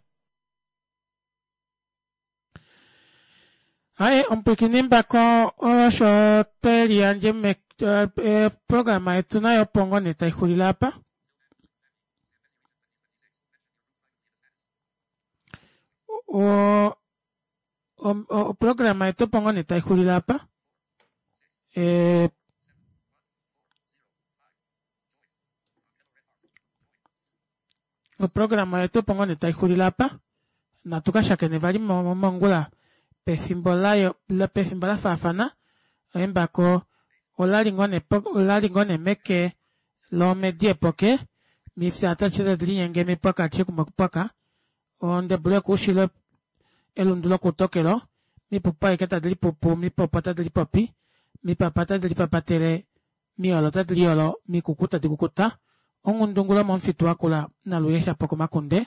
Aye, omupwiikini mbako osho twe liyandje eprograma yetu nayo opo ngoo nee taixulile apa. O oprograma yetu opo ngoo nee taixulile apa. E oprograma yetu opo ngoo nee taixulile apa. Natu kashakene vali mongula pefimbo layo pefimbo lafaafana. Embako olali ngoo nee olali ngoo nee meke lomedi epoke mifya tadi linyenge mipwaka kumwe kupwaka ondebulu yokuushilo elundu lokuutokelo mipupu aike tadi lipupu mipopo tadi lipopi mipapa tadi lipapatele miyolo tadi liyolo mikuku tadi kukuta onghundungulo momufitu wakula naluye shapo komakunde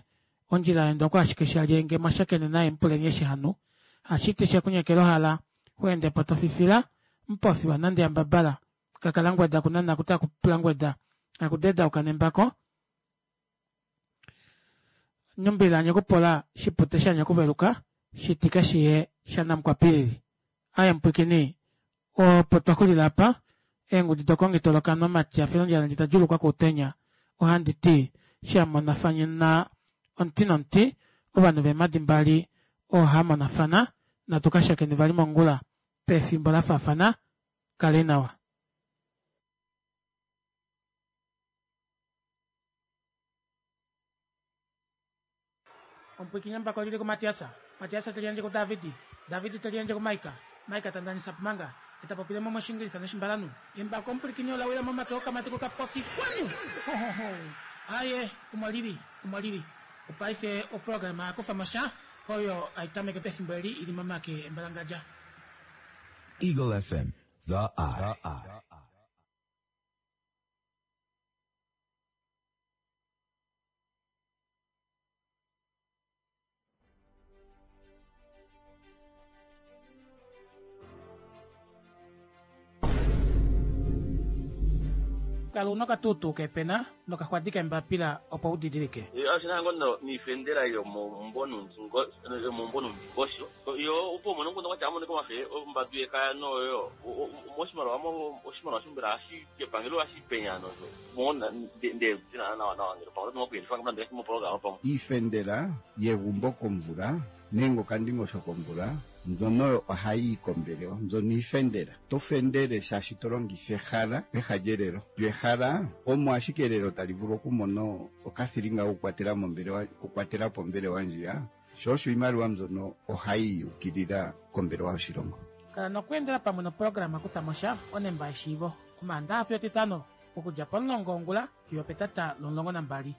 ondjila yaenda oko ashike shalyenge mwashakene naye mupuleni eshi hanu hashiti shekunyekela ohala xweendepo tofifila mupofiwa nande yambabala kakalangweda kunana kutakupulangweda akudedauka nembako nyumbila nyekupola shipute shanyakuveluka shitike shiye shanamukwapilili. Aye mupwikini opo twaxulila apa eengudi dokongitolokanwa matya felondjala nditadjulukwa koutenya ohandi ti shamonafana omuti nomuti ovanhu veemadi mbali oohamonafana natu kashakene vali mongula pefimbo lafaafana. Kale nawa. Omupwiikini embako lili kuMatiasa, Matiasa teli yandje kuDavidi, Davidi teli yandje kuMaika, Maika tandanisa pumanga, etapopile mo moshingilisa noshimbalanhu. Embako omupwilikini ola wila momake okamati kokapofi kwanu! Aye, omo lili, omo lili. Opaife oprograma yakufa mosha oyo aitameke pefimbo eli ili momake embalangadja. Eagle F M, the eye. Kala una okatuutuu kepena nokaxwadi kembapila opo udidilike. Ashina ngono niifendela yomombonundingosho yo opo mono ngono kwacha amone komafe ombadu yekaya noyo moshimaliwa oshimaliwa shombela hashi kepangelo hashi penya nozo mona nde tina nawa nawa ngelo pamwe nokuyelifa ngamnandi mopologama pamwe iifendela yegumbo komvula nenge okandingosho komvula mbyono ohayi kombelewa mbyono iifendela to fendele shaashi to longitha ehala peha lyelelo lyo ehala omo ashike elelo tali vulu okumona okathilinga kokukwatela mombelewa kukwatela pombelewa ndjiya sho osho iimaliwa mbyono ohayi yukilila kombelewa yoshilongo. Kala nokweendela pamwe noprograma kutha mosha onemba yeshiivo omaandaxa fiyo etitano okudja pomulongo wongula fiyo petata lomulongo nambali.